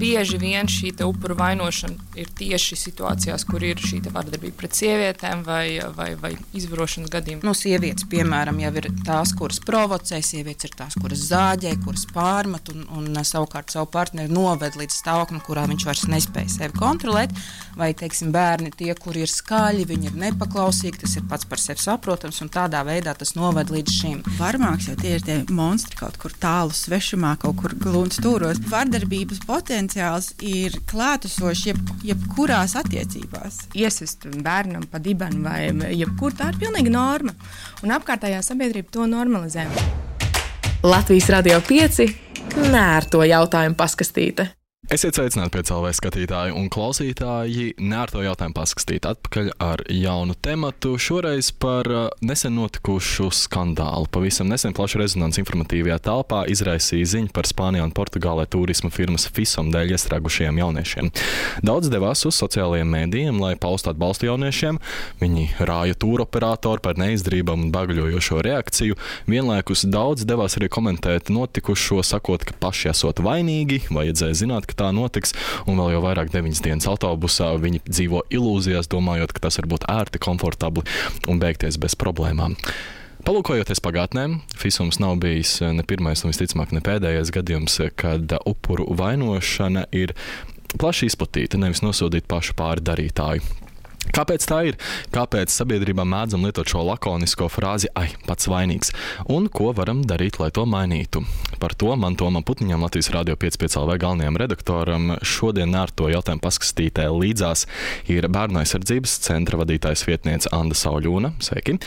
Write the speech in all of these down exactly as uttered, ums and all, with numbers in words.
bieži vien šī te upuru vainošana ir tieši situācijās, kur ir šī te vardarbība pret sievietēm vai, vai, vai izvarošanas gadījumi. Nu, sievietes, piemēram, jau ir tās, kuras provocē, sievietes ir tās, kuras zāģē, kuras pārmet un, un savukārt savu partneri noved līdz stāvoklim, kurā viņš vairs nespēja sevi kontrolēt, vai, teiksim, bērni tie, kuri ir skaļi, viņi ir nepaklausīgi, tas ir pats par sevi saprotams, un tādā veidā tas noved līdz šim. Varmāks jau tie ir tie monstri kaut kur tālu svešumā, kaut kur glūn stūros. Vardarbības potenciāls ir klātesošs jeb, jebkurās attiecībās. Iesist bērnam pa dibenu vai jebkur, tā ir pilnīga norma. Un apkārtējā sabiedrība to normalizē. Latvijas Radio pieci nērto jautājumu paskastīte. Esiet sveicināti pie C L V skatītāji un klausītāji. Nērto jautājumu paskastīt atpakaļ ar jaunu tematu. Šoreiz par nesen notikušu skandālu. Pavisam nesen plaša rezonanse informatīvajā telpā izraisīja ziņa par Spānijā un Portugālē turisma firmas Fisom dēļ iestrēgušajiem jauniešiem. Daudz devās uz sociālajiem mēdījiem, lai paustu atbalstu jauniešiem. Viņi rāja tūroperatoru par neizdarībām un bagaļojošo reakciju. Vienlaikus daudz devās arī komentēt notikušo, sakot, ka paši esot vainīgi, vajadzēja zināt, ka tā notiks, un vēl jau vairāk deviņas dienas autobusā viņi dzīvo ilūzijās, domājot, ka tas var būt ērti, komfortabli un beigties bez problēmām. Palūkojoties pagātnē, Fisums nav bijis ne pirmais un visticamāk ne pēdējais gadījums, kad upuru vainošana ir plaši izplatīta, nevis nosodīt pašu pāri darītāju. Kāpēc tā ir? Kāpēc sabiedrībā mēdzam lietot šo lakonisko frāzi ai, pats vainīgs? Un ko varam darīt, lai to mainītu? Par to man Tomam Putniņam, Latvijas Radio pieci L V galvenajam redaktoram, šodien nērto jautājumu paskastītē līdzās ir Bērnu aizsardzības centra vadītājs vietniece Anda Sauļūna. Sveiki!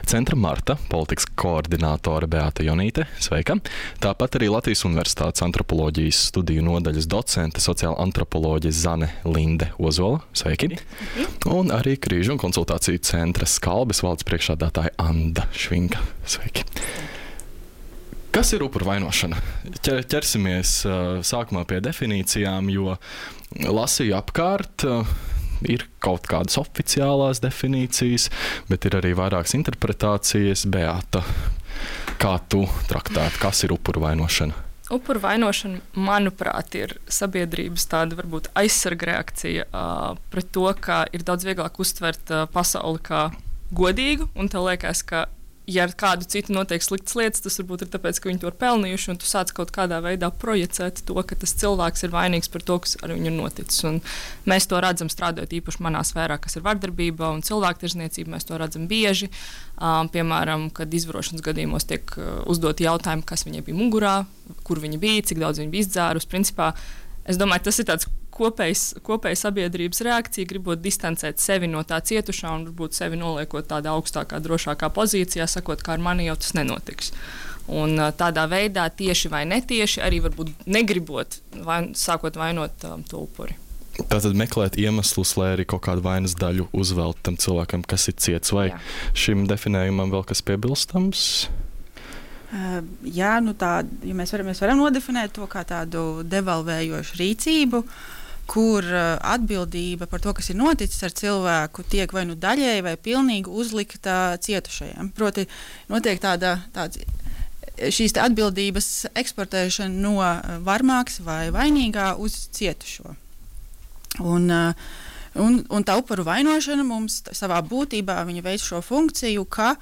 Centra Marta, politikas koordinātore Beāta Jonīte. Sveika! Tāpat arī Latvijas Universitātes antropoloģijas studiju nodaļas docente, sociāla antropoloģe Zane Linde Ozola. Sveiki! Un arī Krīžu un konsultāciju centra Skalbes valdes priekšsēdētāja Anda Švinka. Sveiki! Kas ir upuru vainošana? Ķer, ķersimies uh, sākumā pie definīcijām, jo lasīju apkārt, uh, ir kaut kādas oficiālās definīcijas, bet ir arī vairākas interpretācijas. Beāta, kā tu traktētu, kas ir upuru vainošana? Upuru vainošana, manuprāt, ir sabiedrības tāda varbūt aizsarga reakcija uh, pret to, ka ir daudz vieglāk uztvert uh, pasauli kā godīgu, un tev liekas, ka ja ar kādu citu notiek sliktas lietas, tas varbūt ir tāpēc, ka viņi to ir pelnījuši, un tu sāc kaut kādā veidā projicēt to, ka tas cilvēks ir vainīgs par to, kas ar viņu ir noticis. Un mēs to redzam strādājot īpaši manā sfērā, kas ir vardarbība un cilvēktirdzniecība. Mēs to redzam bieži. Um, piemēram, kad izvarošanas gadījumos tiek uh, uzdoti jautājumi, kas viņai bija mugurā, kur viņa bija, cik daudz viņa bija izdzērus. Principā, es domāju, tas ir tāds kopējs, kopēja sabiedrības reakcija, gribot distancēt sevi no tā cietušā un varbūt sevi noliekot tādā augstākā, drošākā pozīcijā, sakot, ka ar mani jau tas nenotiks. Un tādā veidā tieši vai netieši arī varbūt negribot, vai, sākot vainot um, to upuri. Tātad meklēt iemeslus, lai arī kaut kādu vainas daļu uzvelt tam cilvēkam, kas ir ciets, vai Jā. Šim definējumam vēl kas piebilstams? Uh, jā, nu tā, ja mēs, varam, mēs varam nodefinēt to kā tādu devalvējošu rīcību, kur uh, atbildība par to, kas ir noticis ar cilvēku, tiek vai nu daļēji vai pilnīgi uzlikta cietušajiem. Proti, notiek tāda, tāds, šīs atbildības eksportēšana no varmāks vai vainīgā uz cietušo. Un, uh, un, un tā upuru vainošana mums savā būtībā viņa veic šo funkciju, ka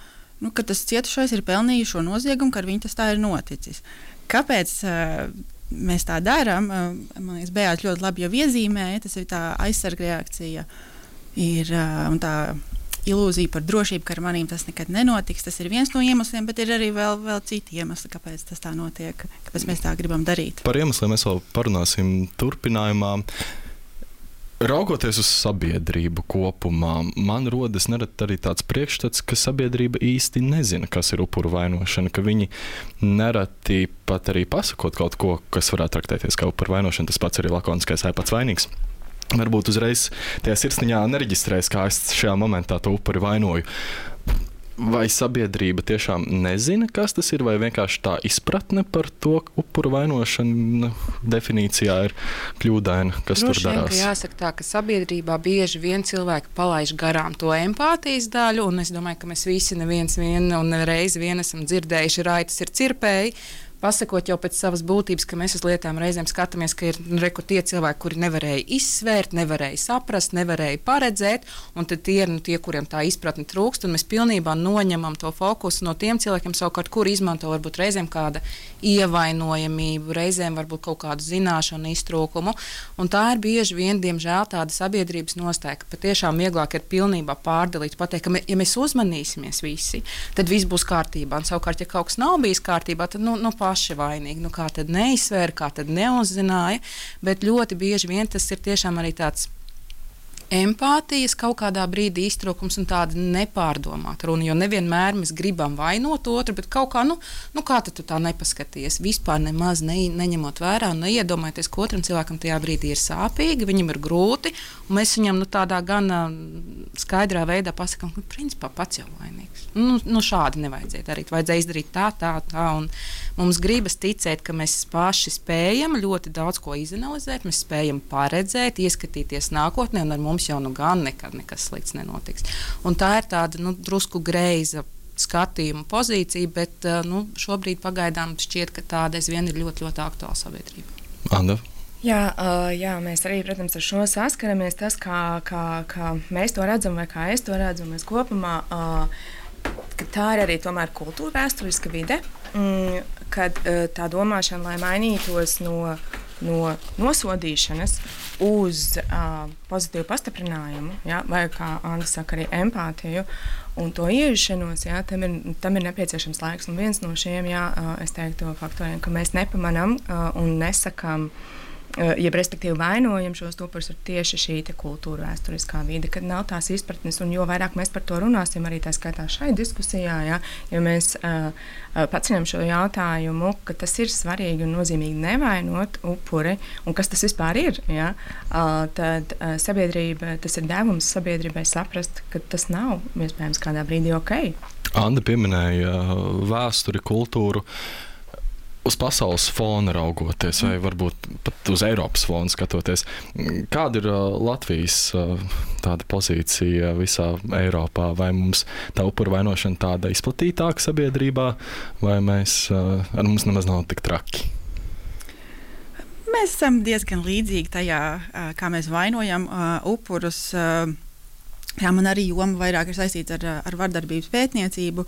Nu, ka tas cietušais ir pelnījis šo noziegumu, ka ar viņu tas tā ir noticis. Kāpēc uh, mēs tā darām? Uh, man liekas, Beāta ļoti labi jau iezīmēja, tas ir tā aizsarga reakcija ir, uh, un tā ilūzija par drošību, ka ar manīm tas nekad nenotiks. Tas ir viens no iemesliem, bet ir arī vēl, vēl citi iemesli, kāpēc tas tā notiek, kāpēc mēs tā gribam darīt. Par iemesliem mēs vēl parunāsim turpinājumā. Raugoties uz sabiedrību kopumā, man rodas nerad arī tāds priekšstats, ka sabiedrība īsti nezina, kas ir upuru vainošana, ka viņi nereti pat arī pasakot kaut ko, kas varētu traktēties kā upuru vainošana, tas pats arī lakoniskais ai pats vainīgs. Varbūt uzreiz tajā sirsniņā nereģistrēs, kā es šajā momentā to upuri vainoju. Vai sabiedrība tiešām nezina, kas tas ir, vai vienkārši tā izpratne par to upuru vainošanu definīcijā ir kļūdaina, kas Droši tur darās? Vien, jāsaka tā, ka sabiedrībā bieži vien cilvēki palaiž garām to empātijas daļu, un es domāju, ka mēs visi neviens vien un reizi vien esam dzirdējuši, raitas ir cirpēji, pasakot jau pēc savas būtības, ka mēs uz lietām reizēm skatāmies, ka ir reku tie cilvēki, kuri nevarēja izsvērt, nevarēja saprast, nevarēja paredzēt, un tad tie ir nu, tie, kuriem tā izpratne trūkst, un mēs pilnībā noņemam to fokusu no tiem cilvēkiem, savukārt, kuri izmanto varbūt reizēm kāda ievainojamību, reizēm varbūt kaut kādu zināšanu iztrūkumu, un tā ir bieži vien, diemžēl, tāda sabiedrības nostāja, ka patiešām vieglāk ir pilnībā pārdalīt, pateikt, ka, me, ja mēs uzmanīsimies visi, tad viss būs kārtībā, un savukārt, ja kaut kas nav bijis kārtībā, tad, nu, nu paši vainīgi, nu kā tad neizsvēra, kā tad neuzzināja, bet ļoti bieži vien tas ir tiešām arī tāds empātijas kaut kādā brīdī iztrūkums un tāda nepārdomāta runa, jo nevienmēr mēs gribam vainot otru, bet kaut kā, nu, nu kā tad tu tā nepaskaties, vispār nemaz ne, neņemot vērā un neiedomājoties, ka otram cilvēkam tajā brīdī ir sāpīgi, viņam ir grūti, un mēs viņam nu, tādā gan skaidrā veidā pasakām, ka principā pats jau vainīgs. Nu, nu šādi nevajadzēja darīt, vajadzēja izdarīt tā, tā, tā, un mums gribas ticēt, ka mēs paši spējam ļoti daudz ko izanalizēt, mēs spējam paredzēt, ieskatīties nākotnē, un ar mums jau nu gan nekad nekas slikts nenotiks. Un tā ir tāda nu, drusku greiza skatījuma pozīcija, bet nu, šobrīd pagaidām šķiet, ka tāda aizvien ir ļoti, ļoti aktuāla sabiedrība. Anda? Jā, uh, jā, mēs arī, protams, ar šo saskaramies. Tas, kā, kā, kā mēs to redzam, vai kā es to redzu, mēs kopumā, uh, ka tā ir arī tomēr kultūra vēsturiska vide, mm, kad uh, tā domāšana, lai mainītos no no nosodīšanas uz uh, pozitīvu pastiprinājumu, ja, vai, kā Anna saka, arī empātiju un to iejušanos, ja, tam, ir, tam ir nepieciešams laiks. Un viens no šiem, ja, uh, es teiktu, faktoriem, ka mēs nepamanām uh, un nesakām, uh, jeb respektīvi vainojam šos upurus, ir tieši šī kultūra vēsturiskā vide, kad nav tās izpratnes, un jo vairāk mēs par to runāsim, arī tā skaitā šai diskusijā, ja, ja mēs uh, paceļam šo jautājumu, ka tas ir svarīgi un nozīmīgi nevainot upuri, un kas tas vispār ir, ja, tad sabiedrība, tas ir devums sabiedrībai saprast, ka tas nav iespējams kādā brīdī ok. Anda pieminēja vēsturi, kultūru. Uz pasaules fona raugoties, vai varbūt pat uz Eiropas fona skatoties, kāda ir Latvijas tāda pozīcija visā Eiropā? Vai mums tā upuru vainošana tāda izplatītāka sabiedrībā, vai mēs, ar mums nemaz nav tik traki? Mēs esam diezgan līdzīgi tajā, kā mēs vainojam upurus. Jā, man arī joma vairāk ir saistīta ar, ar vardarbības pētniecību.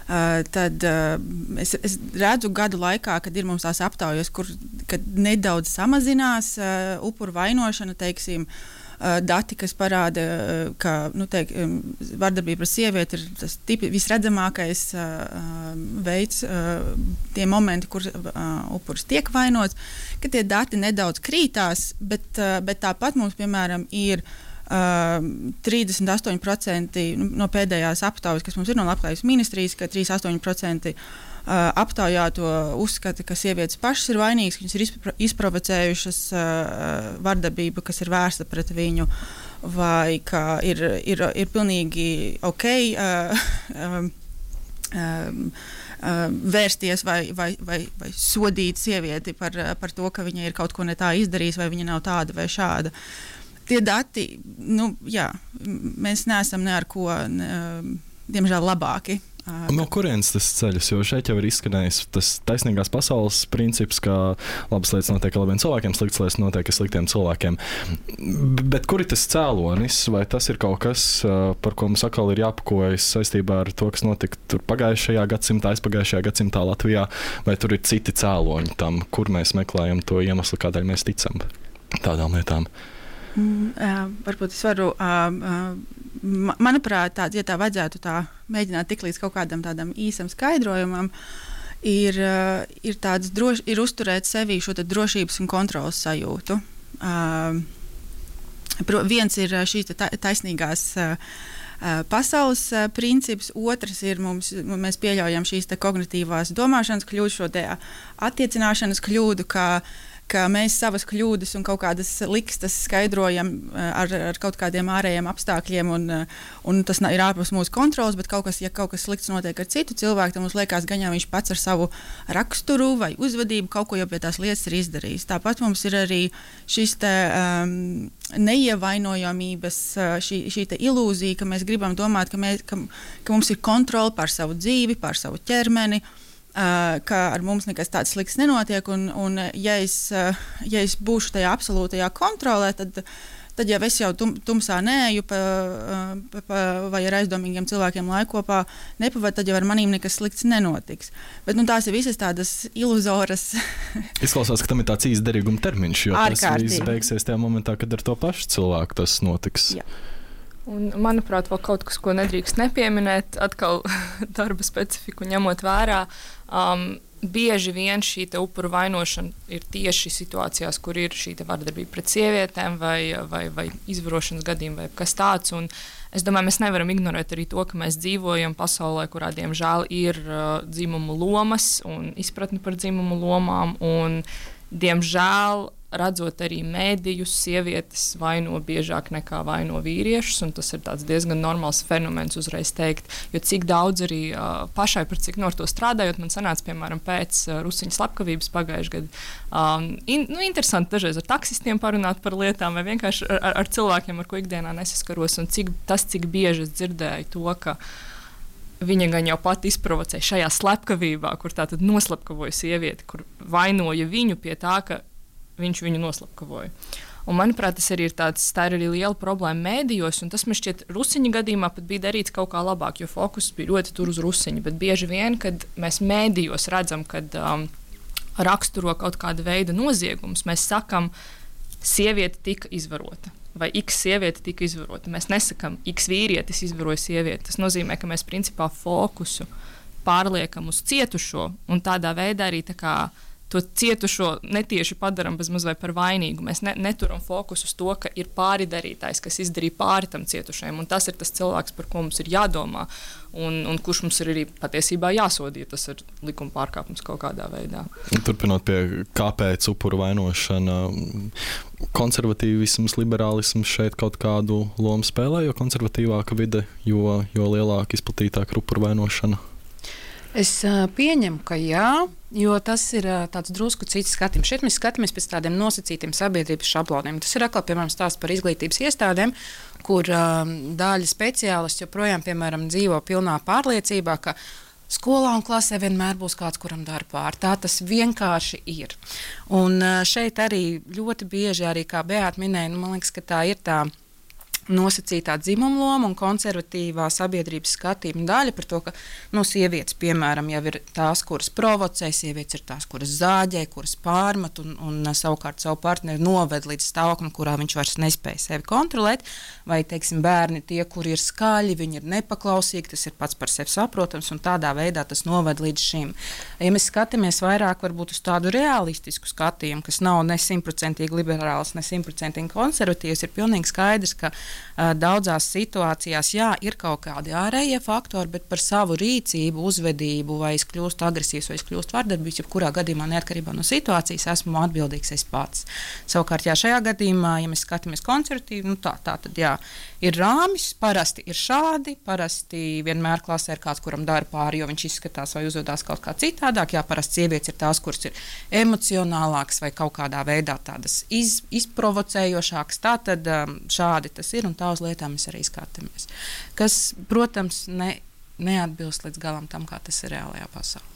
Uh, tad uh, es, es redzu gadu laikā, kad ir mums tās aptaujas, kur nedaudz samazinās uh, upuru vainošana, teiksim, uh, dati, kas parāda, uh, ka nu, teik, um, vardarbība pret sievieti ir tas tipi, visredzamākais uh, veids, uh, tie momenti, kur uh, upuris tiek vainots, ka tie dati nedaudz krītās, bet, uh, bet tāpat mums, piemēram, ir Uh, trīsdesmit astoņi procenti no pēdējās aptaujas, kas mums ir no Labklājības ministrijas, ka trīsdesmit astoņi procenti uh, aptaujāto uzskata, ka sievietes pašas ir vainīgas, ka viņas ir izpro- izprovocējušas uh, vardarbību, kas ir vērsta pret viņu, vai ka ir, ir, ir pilnīgi ok uh, um, um, uh, vērsties vai, vai, vai, vai sodīt sievieti par, par to, ka viņa ir kaut ko ne tā izdarījusi, vai viņa nav tāda vai šāda. Tie dati, nu, jā, mēs neesam ne ar ko, ne, diemžēl, labāki. No kurienes tas ceļas? Jo šeit jau ir izskanējis tas taisnīgās pasaules princips, ka labas lietas notiek labiem cilvēkiem, sliktas lietas notiek sliktiem cilvēkiem. Bet kur ir tas cēlonis? Vai tas ir kaut kas, par ko mums atkal ir jāpakojas saistībā ar to, kas notika tur pagājušajā gadsimtā, aizpagājušajā gadsimtā Latvijā? Vai tur ir citi cēloņi tam, kur mēs meklējam to iemeslu, kādēļ mēs ticam tādām lietām? Mm, uh, varbūt es varu, uh, uh, manuprāt, tā, ja tā vajadzētu tā mēģināt tik līdz kaut kādam tādam īsam skaidrojumam, ir, uh, ir, tāds droš, ir uzturēt sevī šo drošības un kontrolas sajūtu. Uh, pro, viens ir šīs ta, taisnīgās uh, pasaules uh, princips, otrs ir mums, mēs pieļaujam šīs kognitīvās domāšanas kļūdas, šo te attiecināšanas kļūdu, kā ka mēs savas kļūdas un kaut kādas likstas skaidrojam ar, ar kaut kādiem ārējiem apstākļiem, un, un tas ir ārpus mūsu kontrolas, bet kaut kas, ja kaut kas slikts notiek ar citu cilvēku, tad mums liekas, ka viņš pats ar savu raksturu vai uzvedību kaut ko jau pie tās lietas ir izdarījis. Tāpat mums ir arī šis te, um, neievainojamības, šī, šī te ilūzija, ka mēs gribam domāt, ka, mēs, ka, ka mums ir kontrole pār savu dzīvi, pār savu ķermeni, uh, ka ar mums nekas tāds slikts nenotiek, un, un ja, es, uh, ja es būšu tajā absolūtajā kontrolē, tad tad jau es jau tum, tumsā neeju pa, pa, pa, vai ar aizdomīgiem cilvēkiem laiku kopā nepavadu, tad jau ar manīm nekas slikts nenotiks. Bet nu, tās ir visas tādas iluzoras. Izklausās, ka tam ir tāds īsts derīguma termiņš, jo tas viss beigsies tajā momentā, kad ar to pašu cilvēku tas notiks. Jā. Un, manuprāt, vēl kaut kas, ko nedrīkst nepieminēt, atkal darba specifiku ņemot vērā, um, bieži vien šī upuru vainošana ir tieši situācijās, kur ir šī vardarbība pret sievietēm vai, vai, vai izvarošanas gadījumi vai kas tāds. Un es domāju, mēs nevaram ignorēt arī to, ka mēs dzīvojam pasaulē, kurā diemžēl ir uh, dzimumu lomas un izpratni par dzimumu lomām. Un, diemžēl, redzot arī mēdījus, sievietes vaino biežāk nekā vaino vīriešus, un tas ir tāds diezgan normāls fenomens uzreiz teikt, jo cik daudz arī uh, pašai par cik no ar to strādājot, man sanāca, piemēram, pēc uh, Rusiņu slepkavības pagājušajā gadā. Um, in, nu, interesanti dažreiz ar taksistiem parunāt par lietām, vai vienkārši ar, ar cilvēkiem, ar ko ikdienā nesaskaros, un cik, tas, cik bieži es dzirdēju to, ka viņa gan jau pati izprovocēja šajā slepkavībā, kur tā tad noslepkavoja sievieti, kur vainoja viņu pie tā, ka viņš viņu noslepkavoja. Un, manuprāt, tas arī ir tāds, tā ir arī liela problēma mēdījos, un tas man šķiet Rusiņa gadījumā pat bija darīts kaut kā labāk, jo fokus bija ļoti tur uz Rusiņu, bet bieži vien, kad mēs mēdījos redzam, kad um, raksturo kaut kāda veida noziegumus, mēs sakam, sieviete tika izvarota, vai x sieviete tika izvarota. Mēs nesakam, x vīrietis izvaroja sievieti. Tas nozīmē, ka mēs principā fokusu pārliekam uz cietušo, un tādā veidā arī tā kā to cietušo netieši padaram bezmaz vai par vainīgu. Mēs ne, neturam fokusu uz to, ka ir pāri darītājs, kas izdarīja pāri tam cietušajam, un tas ir tas cilvēks, par ko mums ir jādomā, un, un kurš mums ir arī patiesībā jāsodīja. Tas ir likuma pārkāpums kaut kādā veidā. Turpinot pie kāpēc upuru vainošana, konservatīvisms, liberālisms šeit kaut kādu lomu spēlē, jo konservatīvāka vide, jo, jo lielāka, izplatītāka upuru vainošana? Es uh, pieņemu, ka jā, jo tas ir uh, tāds drusku cits skatījums. Šeit mēs skatāmies pēc tādiem nosacītiem sabiedrības šabloniem. Tas ir atkal, piemēram, stāsts par izglītības iestādēm, kur uh, daļa speciālisti joprojām, piemēram, dzīvo pilnā pārliecībā, ka skolā un klasē vienmēr būs kāds, kuram dara pāri. Tā tas vienkārši ir. Un uh, šeit arī ļoti bieži, arī kā Beāta minēja, nu, man liekas, ka tā ir tā nosacītā dzimuma loma un konservatīvā sabiedrības skatījuma daļa par to, ka nu, sievietes, piemēram, jau ir tās, kuras provocē, sievietes ir tās, kuras zāģē, kuras pārmet un, un savukārt savu partneri noved līdz stāvoklim, kurā viņš vairs nespēja sevi kontrolēt, vai, teiksim, bērni tie, kuri ir skaļi, viņi ir nepaklausīgi, tas ir pats par sevi saprotams, un tādā veidā tas noved līdz šim. Ja mēs skatāmies vairāk varbūt uz tādu realistisku skatījumu, kas nav ne simtprocentīgi liberāls, ne simtprocentīgi konservatīvs, ir pilnīgi skaidrs, ka daudzās situācijās, jā, ir kaut kādi ārējie faktori, bet par savu rīcību, uzvedību, vai es kļūstu agresīvs, vai es kļūstu vardarbīgs, jebkurā gadījumā, neatkarībā no situācijas, esmu atbildīgs es pats. Savukārt, jā, šajā gadījumā, ja mēs skatāmies konservatīvi, nu tā, tā tad, jā, ir rāmis, parasti ir šādi, parasti vienmēr klasē ir kāds, kuram dara pāri, jo viņš izskatās vai uzvedās kaut kā citādāk, jā, parasti sievietes ir tās, kuras ir emocionālākas vai kaut kādā veidā tādas iz, izprovocējošākas, tā tad šādi tas ir, un tā uz lietām mēs arī skatāmies. Kas, protams, ne, neatbilst līdz galam tam, kā tas ir reālajā pasaulē.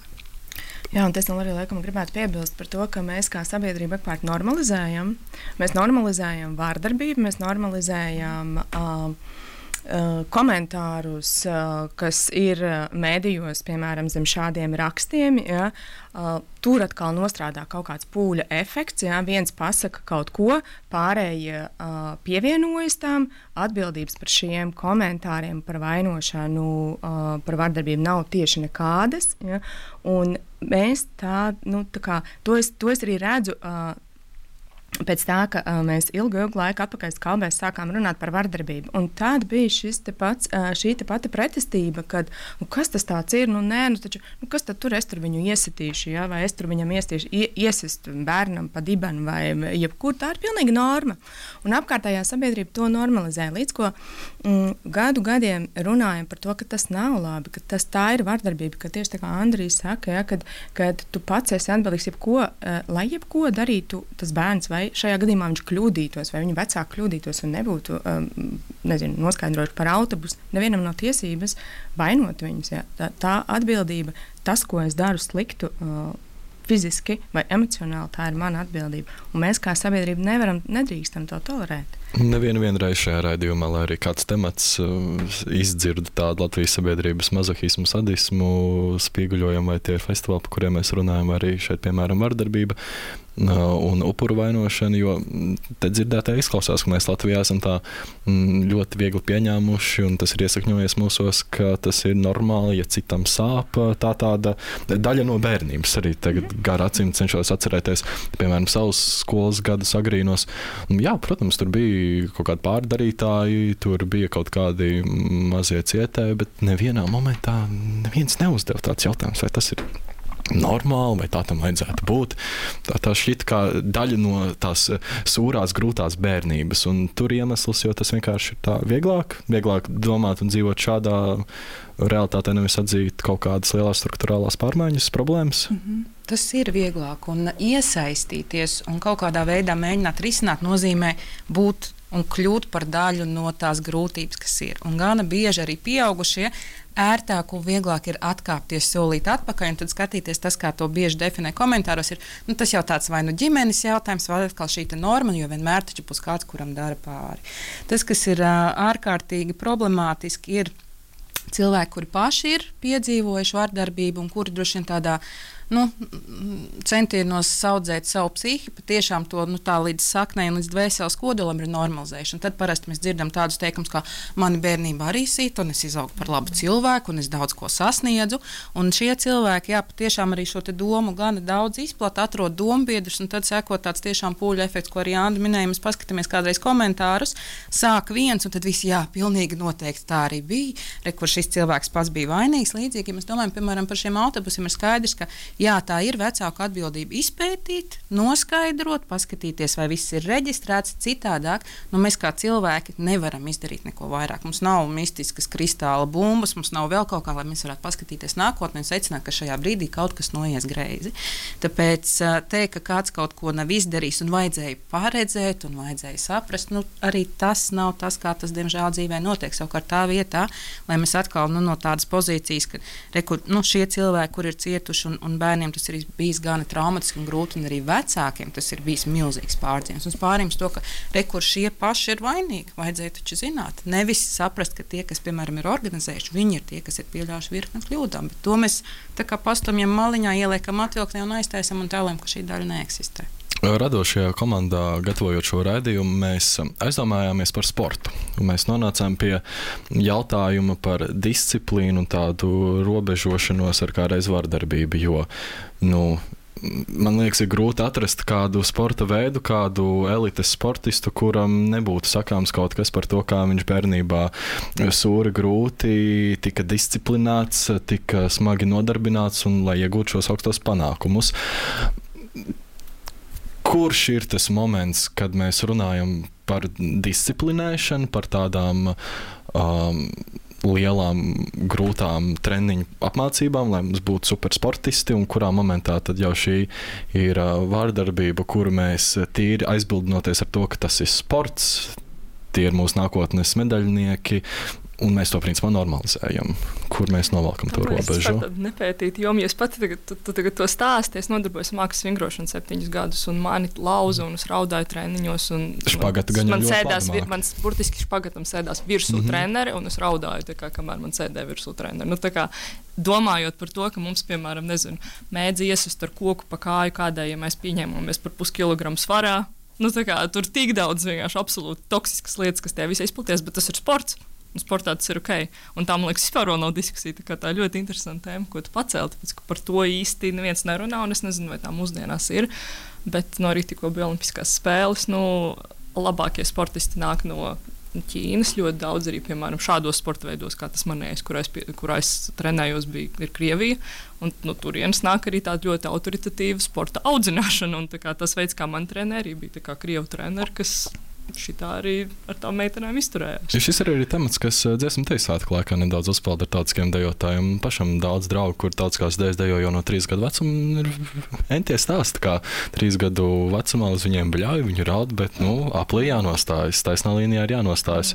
Jā, un es tam arī laikam gribētu piebilst par to, ka mēs kā sabiedrība ekpārt normalizējam. Mēs normalizējam vārdarbību, mēs normalizējam uh, komentārus, kas ir mēdījos, piemēram, zem šādiem rakstiem, ja, tur atkal nostrādā kaut kāds pūļa efekts, ja, viens pasaka kaut ko, pārējie pievienojas tam, atbildības par šiem komentāriem par vainošanu, par vardarbību nav tieši nekādas, ja, un mēs tā, nu, tā kā, to es, to es arī redzu, pēc tā, ka uh, mēs ilgu, ilgu laiku atpakaļ skalbēs sākām runāt par vardarbību. Un tad bija šis te pats, uh, šī te pati pretestība, kad, nu, kas tas tāds ir, nu, nē, nu, taču, nu, kas tad tur es tur viņu iesitīšu, ja, vai es tur viņam iestīšu, ie, iesist bērnam pa dibenu, vai jebkur, tā ir pilnīga norma. Un apkārtējā sabiedrība to normalizē, līdz ko mm, gadu gadiem runājam par to, ka tas nav labi, ka tas tā ir vardarbība, ka tieši tā kā Andrijs saka, ja, kad, kad tu pats esi atbildīgs jebko, uh, lai jebko darītu tas bērns, vai šajā gadījumā viņš kļūdītos, vai viņa vecāki kļūdītos un nebūtu, um, nezinu, noskaidrojuši par autobusu, nevienam nav tiesības vainot viņus. Ja. Tā, tā atbildība tas, ko es daru sliktu, uh, fiziski vai emocionāli, tā ir mana atbildība. Un mēs kā sabiedrība nevaram, nedrīkstam to tolerēt. Nevienu vienreiz šajā raidījumā, lai arī kāds temats uh, izdzirda tādu Latvijas sabiedrības mazohismu, sadismu, spīguļojumu, vai tie ir festivāli, par kuriem mēs runājam, arī šeit, piemēram, vardarbība uh, un upuru vainošana, jo te dzirdētā izklausās, ka mēs Latvijā esam tā mm, ļoti viegli pieņēmuši, un tas ir iesakņojies mūsos, ka tas ir normāli, ja citam sāp, tā tāda daļa no bērnības. Arī tagad gar acīm cenšos atcerēties, piemēram, savus skolas gadus agrīnos. Jā, protams, tur bija kaut kādi pārdarītāji, tur bija kaut kādi mazie cietēji, bet nevienā momentā neviens neuzdeva tāds jautājums, vai tas ir normāli, vai tā tam vajadzētu būt. Tā, tā šķiet kā daļa no tās sūrās, grūtās bērnības, un tur iemesls, jo tas vienkārši ir tā vieglāk, vieglāk domāt un dzīvot šādā realitātē, nevis atzīt kaut kādas lielās struktūrālās pārmaiņas, problēmas. Mm-hmm. Tas ir vieglāk, un iesaistīties un kaut kādā veidā mēģināt risināt nozīmē būt un kļūt par daļu no tās grūtības, kas ir. Un gana bieži arī pieaugušie ērtāk un vieglāk ir atkāpties solīt atpakaļ, un tad skatīties tas, kā to bieži definē komentāros, ir, nu, tas jau tāds vai nu ģimenes jautājums, vai atkal šī norma, jo vienmēr taču būs kāds, kuram dara pāri. Tas, kas ir ārkārtīgi problemātiski, ir cilvēki, kuri paši ir piedzīvojuši vardarbību un kuri droši vien tādā nu, centienos saudzēt savu psihi, patiešām to nu, tā līdz saknei un līdz dvēseles kodolam ir normalizēšana. Tad parasti mēs dzirdam tādus teikumus, kā mani bērnībā arī sīt, un es izaugu par labu cilvēku, un es daudz ko sasniedzu. Un šie cilvēki, jā, patiešām arī šo te domu gana daudz izplata, atrod dombiedrus, un tad seko tāds tiešām pūļu efekts, ko arī Anda minēja. Mēs paskatāmies kādreiz komentārus, sāk viens, un tad visi, jā, pilnīgi noteikti tā arī bija, re, kur šis cilvēks pats bija vainīgs. Līdzīgi, ja mēs domājam, piemēram, par šiem autobusiem, ir skaidrs, ka jā, tā ir vecāku atbildība izpētīt, noskaidrot, paskatīties, vai viss ir reģistrēts citādāk. Nu, mēs kā cilvēki nevaram izdarīt neko vairāk. Mums nav mistiskas kristāla bumbas, mums nav vēl kaut kā, lai mēs varētu paskatīties nākotnē un secināt, ka šajā brīdī kaut kas noies greizi. Tāpēc teikt, ka kāds kaut ko nav izdarījis un vajadzēja paredzēt un vajadzēja saprast, nu, arī tas nav tas, kā tas, diemžēl, dzīvē notiek. Savukārt tā vietā, lai mēs atkal nu, no tādas pozīcijas, ka rekur, nu, šie cilvēki, kur ir cietuši un, un bērniem tas ir bijis gana traumatiski un grūti, un arī vecākiem tas ir bijis milzīgs pārdzīvums. Un pārījums to, ka rekur šie paši ir vainīgi, vajadzēja taču zināt. Nevis saprast, ka tie, kas, piemēram, ir organizējuši, viņi ir tie, kas ir pieļāvuši virkni kļūdām, bet to mēs tā kā pastumjam maliņā, ieliekam atvilknē un aiztaisam un tēlējam, ka šī daļa neeksistē. Radošajā komandā, gatavojot šo raidījumu, mēs aizdomājāmies par sportu. Mēs nonācām pie jautājuma par disciplīnu un tādu robežošanos ar kādreiz vardarbību, jo, nu, man liekas, ir grūti atrast kādu sporta veidu, kādu elites sportistu, kuram nebūtu sakāms kaut kas par to, kā viņš bērnībā sūri grūti, tika disciplināts, tika smagi nodarbināts un lai iegūtu šos augstos panākumus. Kurš ir tas moments, kad mēs runājam par disciplinēšanu, par tādām um, lielām, grūtām treniņu apmācībām, lai mums būtu supersportisti, un kurā momentā tad jau šī ir uh, vārdarbība, kuru mēs tīri aizbildinoties ar to, ka tas ir sports, tie ir mūsu nākotnes medaļnieki, un mēs to principā normalizējam, kur mēs novalkam to no, robežu. Es pat nepētītu, jo ja es pati tagad, tu, tu tagad to stāsti, es nodarbojos mākslas vingrošanu septiņus gadus, un mani lauza, un es raudāju treniņos, un špagata gan man ļoti sēdās, labi man burtiski špagatam sēdās virsū mm-hmm. treneri, un es raudāju, tā kā, kamēr man sēdēja virsū treneri. Nu, tā kā, domājot par to, ka mums, piemēram, nezinu, mēdz iesust ar koku pa kāju kādai, ja mēs pieņēmamies par puskilogramu svarā, nu, tā kā, tur tik daudz vienkārši absolūti toksiskas lietas, kas tie visi izplaties, bet tas ir sports. Un sportā tas ir ok. Un tā, man liekas, vispār vēl nav diskusija. Tā, tā ir ļoti interesanta tēma, ko tu pacēli. Tāpēc, ka par to īsti neviens nerunā, un es nezinu, vai tā mūsdienās ir. Bet no arī tikko bija olimpiskās spēles, nu, labākie sportisti nāk no Ķīnas. Ļoti daudz arī, piemēram, šādos sporta veidos, kā tas manējais, kurā es, kurā es trenējos, bija, ir Krievija. Un no turienes nāk arī tāda ļoti autoritatīva sporta audzināšana. Un tā kā tas veids, kā man treneri, bija tā kā Krievu treneri, kas šitā arī ar tām meitenēm izturējās. Šis ir arī temats, kas dziesmu teju svētku laikā nedaudz uzpeld ar tautiskiem dejotājiem. Pašam daudz draugu, kur tautiskās dejas dejo jau no trīs gadu vecuma, ir entie stāsti, kā trīs gadu vecumā uz viņiem bļauj, viņi raud, bet, nu, aplī jānostājas, taisnā līnijā ir jānostājas.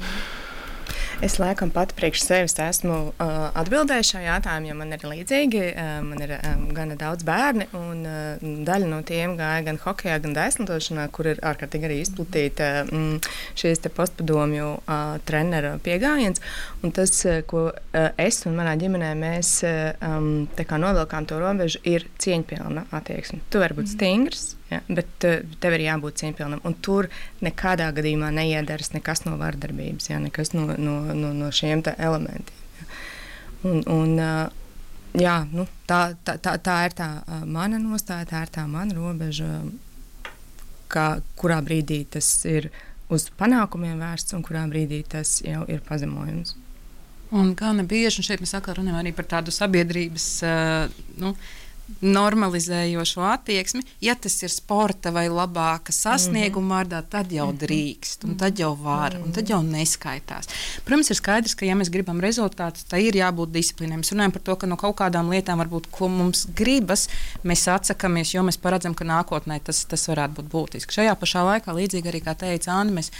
Es laikam pat priekš sevis esmu uh, atbildējis šo jautājumu, jo man ir līdzīgi. Uh, man ir um, gana daudz bērni, un uh, daļa no tiem gāja gan hokejā, gan daislietošanā, kur ir ārkārtīgi arī izplatīta um, šīs te postpadomju uh, trenera pieejams. Un tas, uh, ko uh, es un manā ģimenē mēs uh, um, tā kā novilkām to robežu, ir cieņpilna attieksme. Tu vari būt stingrs. Ja, bet uh, tev ir jābūt cieņpilnam, un tur nekādā gadījumā neiedaras nekas no vardarbības, ja, nekas no, no, no, no šiem elementiem. Ja. Un, un, uh, jā, nu, tā, tā, tā, tā ir tā uh, mana nostāja, tā ir tā mana robeža, kā, kurā brīdī tas ir uz panākumiem vērsts un kurā brīdī tas jau ir pazemojums. Un gana bieži, un šeit mēs atkal runājam arī par tādu sabiedrības, uh, nu, normalizējošo attieksmi, ja tas ir sporta vai labāka sasnieguma vārdā, tad jau drīkst, un tad jau var, un tad jau neskaitās. Protams, ir skaidrs, ka ja mēs gribam rezultātus, tad ir jābūt disciplīnai. Mēs runājam par to, ka no kaut kādām lietām varbūt, ko mums gribas, mēs atsakamies, jo mēs paredzam, ka nākotnē tas, tas varētu būt būtiski. Šajā pašā laikā, līdzīgi arī, kā teica Anna, mēs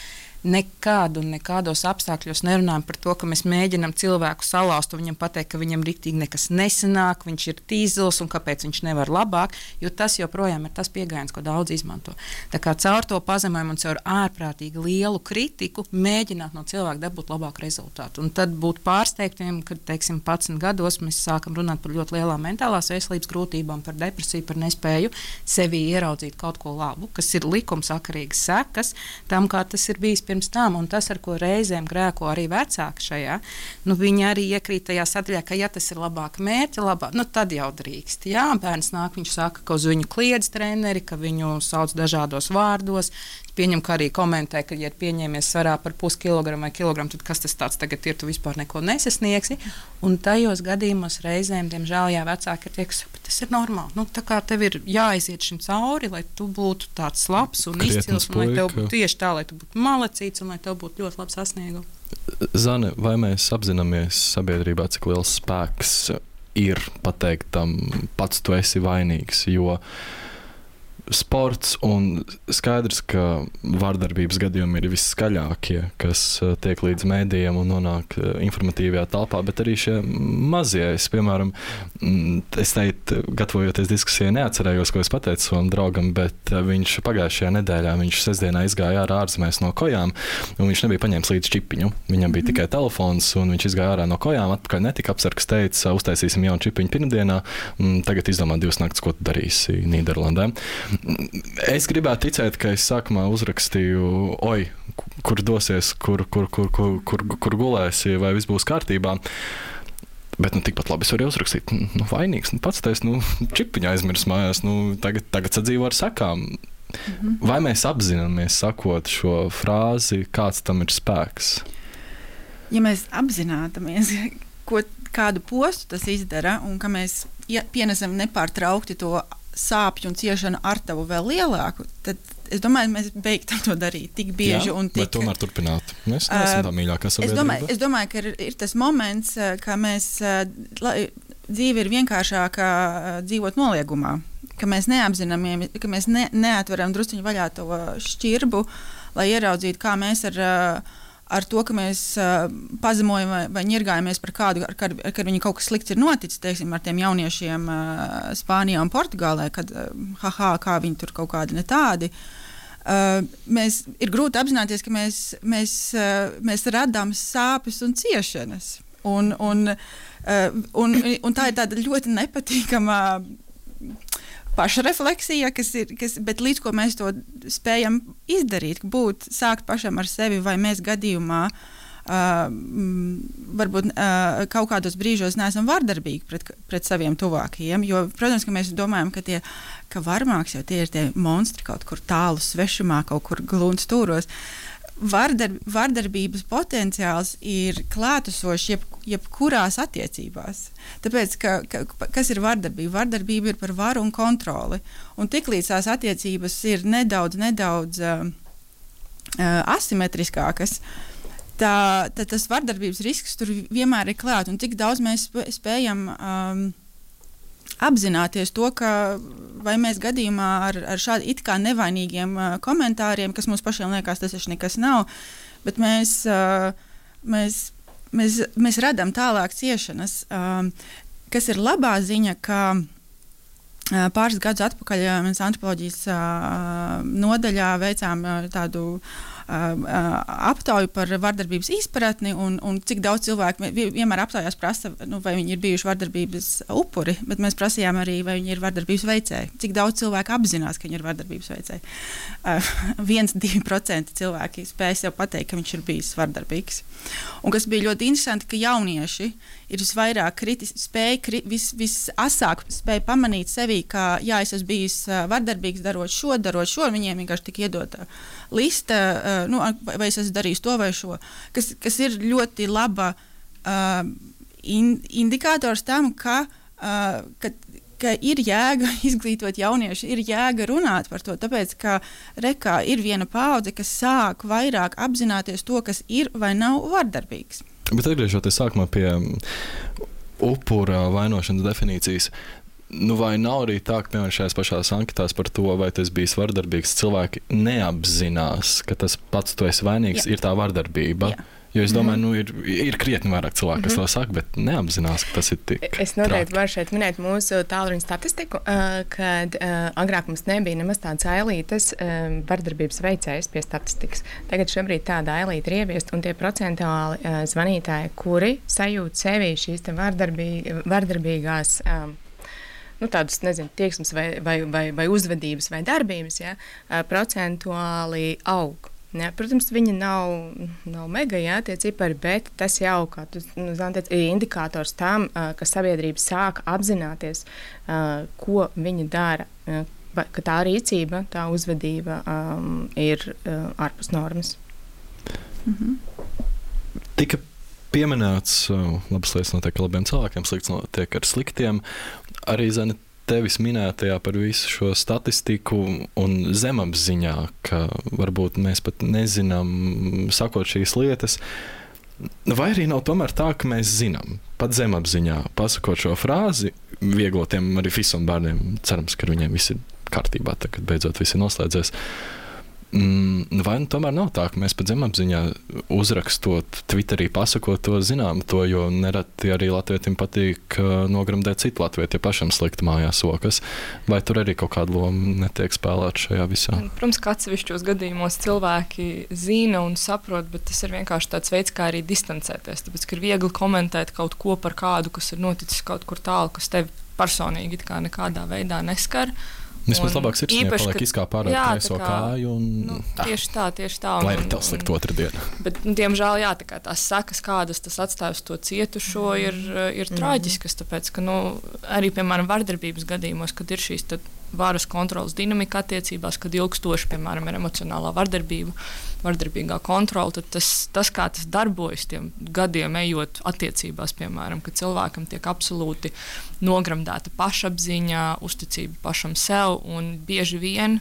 nekādu un nekādos apstākļos nerunājam par to, ka mēs mēģinām cilvēku salauzt un viņam pateikt, ka viņam riktīgi nekas nesanāk, viņš ir tīzels un kāpēc viņš nevar labāk, jo tas joprojām ir tas pieejams, ko daudz izmanto. Tā kā caur to pazemojumu un caur ārprātīgi lielu kritiku mēģināt no cilvēka dabūt labāku rezultātu. Un tad būt pārsteigtiem, kad, teiksim, padsmit gados mēs sākam runāt par ļoti lielām mentālās veselības grūtībām, par depresiju, par nespēju sevī ieraudzīt kaut ko labu, kas ir likumsakarīgas sekas tam, kā tas ir bijis pirms tam, un tas, ar ko reizēm grēko arī vecāki šajā, nu, viņi arī iekrīt tajā sadaļā, ka ja tas ir labāk mērķi, labāk, nu, tad jau drīkst. Jā, bērns nāk, viņš saka, ka uz viņu kliedz treneri, ka viņu sauc dažādos vārdos, pieņem, ka arī komentē, ka, ja ir pieņēmies svarā par puskilogramu vai kilogramu, tad kas tas tāds tagad ir, tu vispār neko nesasniegsi, un tajos gadījumos reizēm, diemžēl, jā, vecāki ir tie, kas saka, tas ir normāli, nu, tā kā tev ir jāaiziet šim cauri, lai tu būtu tāds labs un izcils, un lai tev būtu tieši tā, lai tu būtu malacīts, un lai tev būtu ļoti labs sasniegums. Zane, vai mēs apzināmies sabiedrībā, cik liels spēks ir pateikt tam, pats tu esi vainīgs, jo sports un skaidrs, ka vardarbības gadījumi ir visskaļākie, kas tiek līdz mēdījiem un nonāk informatīvajā telpā, bet arī šie mazie, es, piemēram, es teicu, gatavojoties diskusijai, neatcerējos, ko es pateicu savam draugam, bet viņš pagājušajā nedēļā, viņš sestdienā izgāja ārā ārzemēs no kojām, un viņš nebija paņēmis līdz čipiņu. Viņam bija tikai telefons, un viņš izgāja ārā no kojām, atpakaļ netika apsargs, teica, uztaisīsim jaunu čipiņu pirmdienā, un tagad izdomā divas naktas, ko tu darīsi Nīderlandē. Es gribētu ticēt, ka es sākumā uzrakstīju, oi, kur dosies, kur, kur, kur, kur, kur, kur gulēsi, vai viss būs kārtībā. Bet nu, tikpat labi es varu uzrakstīt, nu, vainīgs, nu, pats teiks, nu, čipiņu aizmirs mājās, nu, tagad, tagad sadzīvo ar sakām. Mhm. Vai mēs apzināmies, sakot šo frāzi, kāds tam ir spēks? Ja mēs apzināmies, ko, kādu postu tas izdara, un ka mēs ja, pienesam nepārtraukti to sāpju un ciešanu ar tavu vēl lielāku, tad es domāju, mēs beigtam to darīt tik bieži. Jā, un tik... bet tomēr turpināt. Mēs neesam tā mīļākā sabiedrība. Es domāju, es domāju ka ir, ir tas moments, ka mēs, la, dzīve ir vienkāršāka dzīvot noliegumā, ka mēs neapzināmies, ka mēs ne, neatveram drusciņu vaļā to šķirbu, lai ieraudzītu, kā mēs ar ar to, ka mēs uh, pazemojam vai, vai ņirgājamies par kādu, ar kādu, ar kādu viņu kaut kas slikts ir noticis, teiksim, ar tiem jauniešiem uh, Spānijā un Portugālē, kad, uh, haha, kā viņi tur kaut kādi ne tādi. Uh, mēs, ir grūti apzināties, ka mēs, mēs, uh, mēs radām sāpes un ciešanas. Un, un, uh, un, un tā ir tāda ļoti nepatīkama pašrefleksija, kas ir, kas, bet līdz ko mēs to spējam izdarīt, būt, sākt pašam ar sevi, vai mēs gadījumā uh, varbūt uh, kaut kādos brīžos neesam vardarbīgi pret, pret saviem tuvākajiem, jo, protams, ka mēs domājam, ka tie, ka varmāks jau tie ir tie monstri kaut kur tālu svešumā, kaut kur glūns stūros. Vardar, vardarbības potenciāls ir klātesošs jeb, jebkurās attiecībās. Tāpēc, ka, ka, kas ir vardarbība? Vardarbība ir par varu un kontroli. Un tiklīdz tās attiecības ir nedaudz, nedaudz uh, uh, asimetriskākas, tā, tā tas vardarbības risks tur vienmēr ir klāt. Un tik daudz mēs spējam um, apzināties to, ka vai mēs gadījumā ar, ar šādi it kā nevainīgiem uh, komentāriem, kas mums pašiem liekas, tas taču nekas nav, bet mēs, uh, mēs mēs, mēs radām tālāk ciešanas, um, kas ir labā ziņa, ka uh, pāris gadus atpakaļ uh, mēs antropoloģijas uh, nodaļā veicām uh, tādu aptauju par vardarbības izpratni un, un cik daudz cilvēku vienmēr aptaujās prasa, nu, vai viņi ir bijuši vardarbības upuri, bet mēs prasījām arī, vai viņi ir vardarbības veicēji. Cik daudz cilvēku apzinās, ka viņi ir vardarbības veicēji. Uh, viens, divi procenti cilvēki spēj sev pateikt, ka viņš ir bijis vardarbīgs. Un kas bija ļoti interesanti, ka jaunieši ir visvairāk kritis, spēj, kri, vis, visasāk spēj pamanīt sevī, ka jā, es esmu bijis vardarbīgs, darot šo, darot šo, viņiem vienkārši tika iedota lista, uh, nu, vai es esmu darījis to vai šo, kas, kas ir ļoti laba uh, in, indikators tam, ka, uh, ka, ka ir jēga izglītot jaunieši, ir jēga runāt par to, tāpēc, ka rekā ir viena paudze, kas sāk vairāk apzināties to, kas ir vai nav vardarbīgs. Bet atgriežoties sākumā pie upura vainošanas definīcijas, nu vai nav arī tā, ka piemēram šajās pašās anketās par to, vai tas bijis vardarbīgs, cilvēki neapzinās, ka tas pats tu esi vainīgs, Jā. ir tā vardarbība. Jā. Jo es domāju, nu, ir, ir krietni vairāk cilvēku, kas mm -hmm. to saka, bet neapzinās, ka tas ir tik Es noteikti varu šeit minēt mūsu tālruņa statistiku, kad agrāk mums nebija nemaz tādas ailītes vardarbības veicējas pie statistikas. Tagad šobrīd tāda ailīte ir ieviesta, un tie procentuāli zvanītāji, kuri sajūt sevī šīs te vardarbī, vardarbīgās nu, tādus, nezinu, tieksmes vai, vai, vai, vai uzvedības vai darbības, ja, procentuāli aug. Ja, protams, viņi nav, nav mega, jā, tie cipari, bet tas jau, kā tu nu, teici, ir indikators tam, ka sabiedrība sāk apzināties, ko viņi dara, ka tā rīcība, tā uzvedība um, ir uh, ārpus normas. Mhm. Tika pieminēts, labas lietas notiek ar labiem cilvēkiem, slikts notiek ar sliktiem. Arī, Zane, tevis minētajā par visu šo statistiku un zemapziņā, ka varbūt mēs pat nezinām, sakot šīs lietas, vai arī nav tomēr tā, ka mēs zinām, pat zemapziņā, pasakot šo frāzi, vieglotiem arī visam bērniem, cerams, ka viņiem viss ir kārtībā, tagad beidzot viss ir noslēdzies. Vai nu tomēr nav tā, ka mēs pat zemapziņā uzrakstot, Twitterī pasakot to zinām to, jo nereti arī latvietim patīk nogramdēt citu latvieti, ja pašam slikt mājās sokas, vai tur arī kaut kāda loma netiek spēlēt šajā visā? Protams, ka atsevišķos gadījumos cilvēki zina un saprot, bet tas ir vienkārši tāds veids, kā arī distancēties, tāpēc, ka ir viegli komentēt kaut ko par kādu, kas ir noticis kaut kur tālu, kas tevi personīgi kā nekādā veidā neskar. Vispār labāk sirsniņā paliek izkāp ārā kreiso kāju un... Nu, tieši tā, tieši tā. Lai arī tev slikt otru dienu. Bet, nu, diemžēl, jā, tā kā tās sekas, kādas tas atstāj uz to cietušo, ir, ir mm. traģiskas, tāpēc, ka, nu, arī, piemēram, vardarbības gadījumos, kad ir šīs tad varas kontrolas dinamika attiecībās, kad ilgstoši, piemēram, ir emocionālā vardarbība, vardarbīgā kontrola, tad tas, tas, kā tas darbojas tiem gadiem ejot attiecībās, piemēram, kad cilvēkam tiek absolūti nogramdēta pašapziņa, uzticība pašam sev, un bieži vien,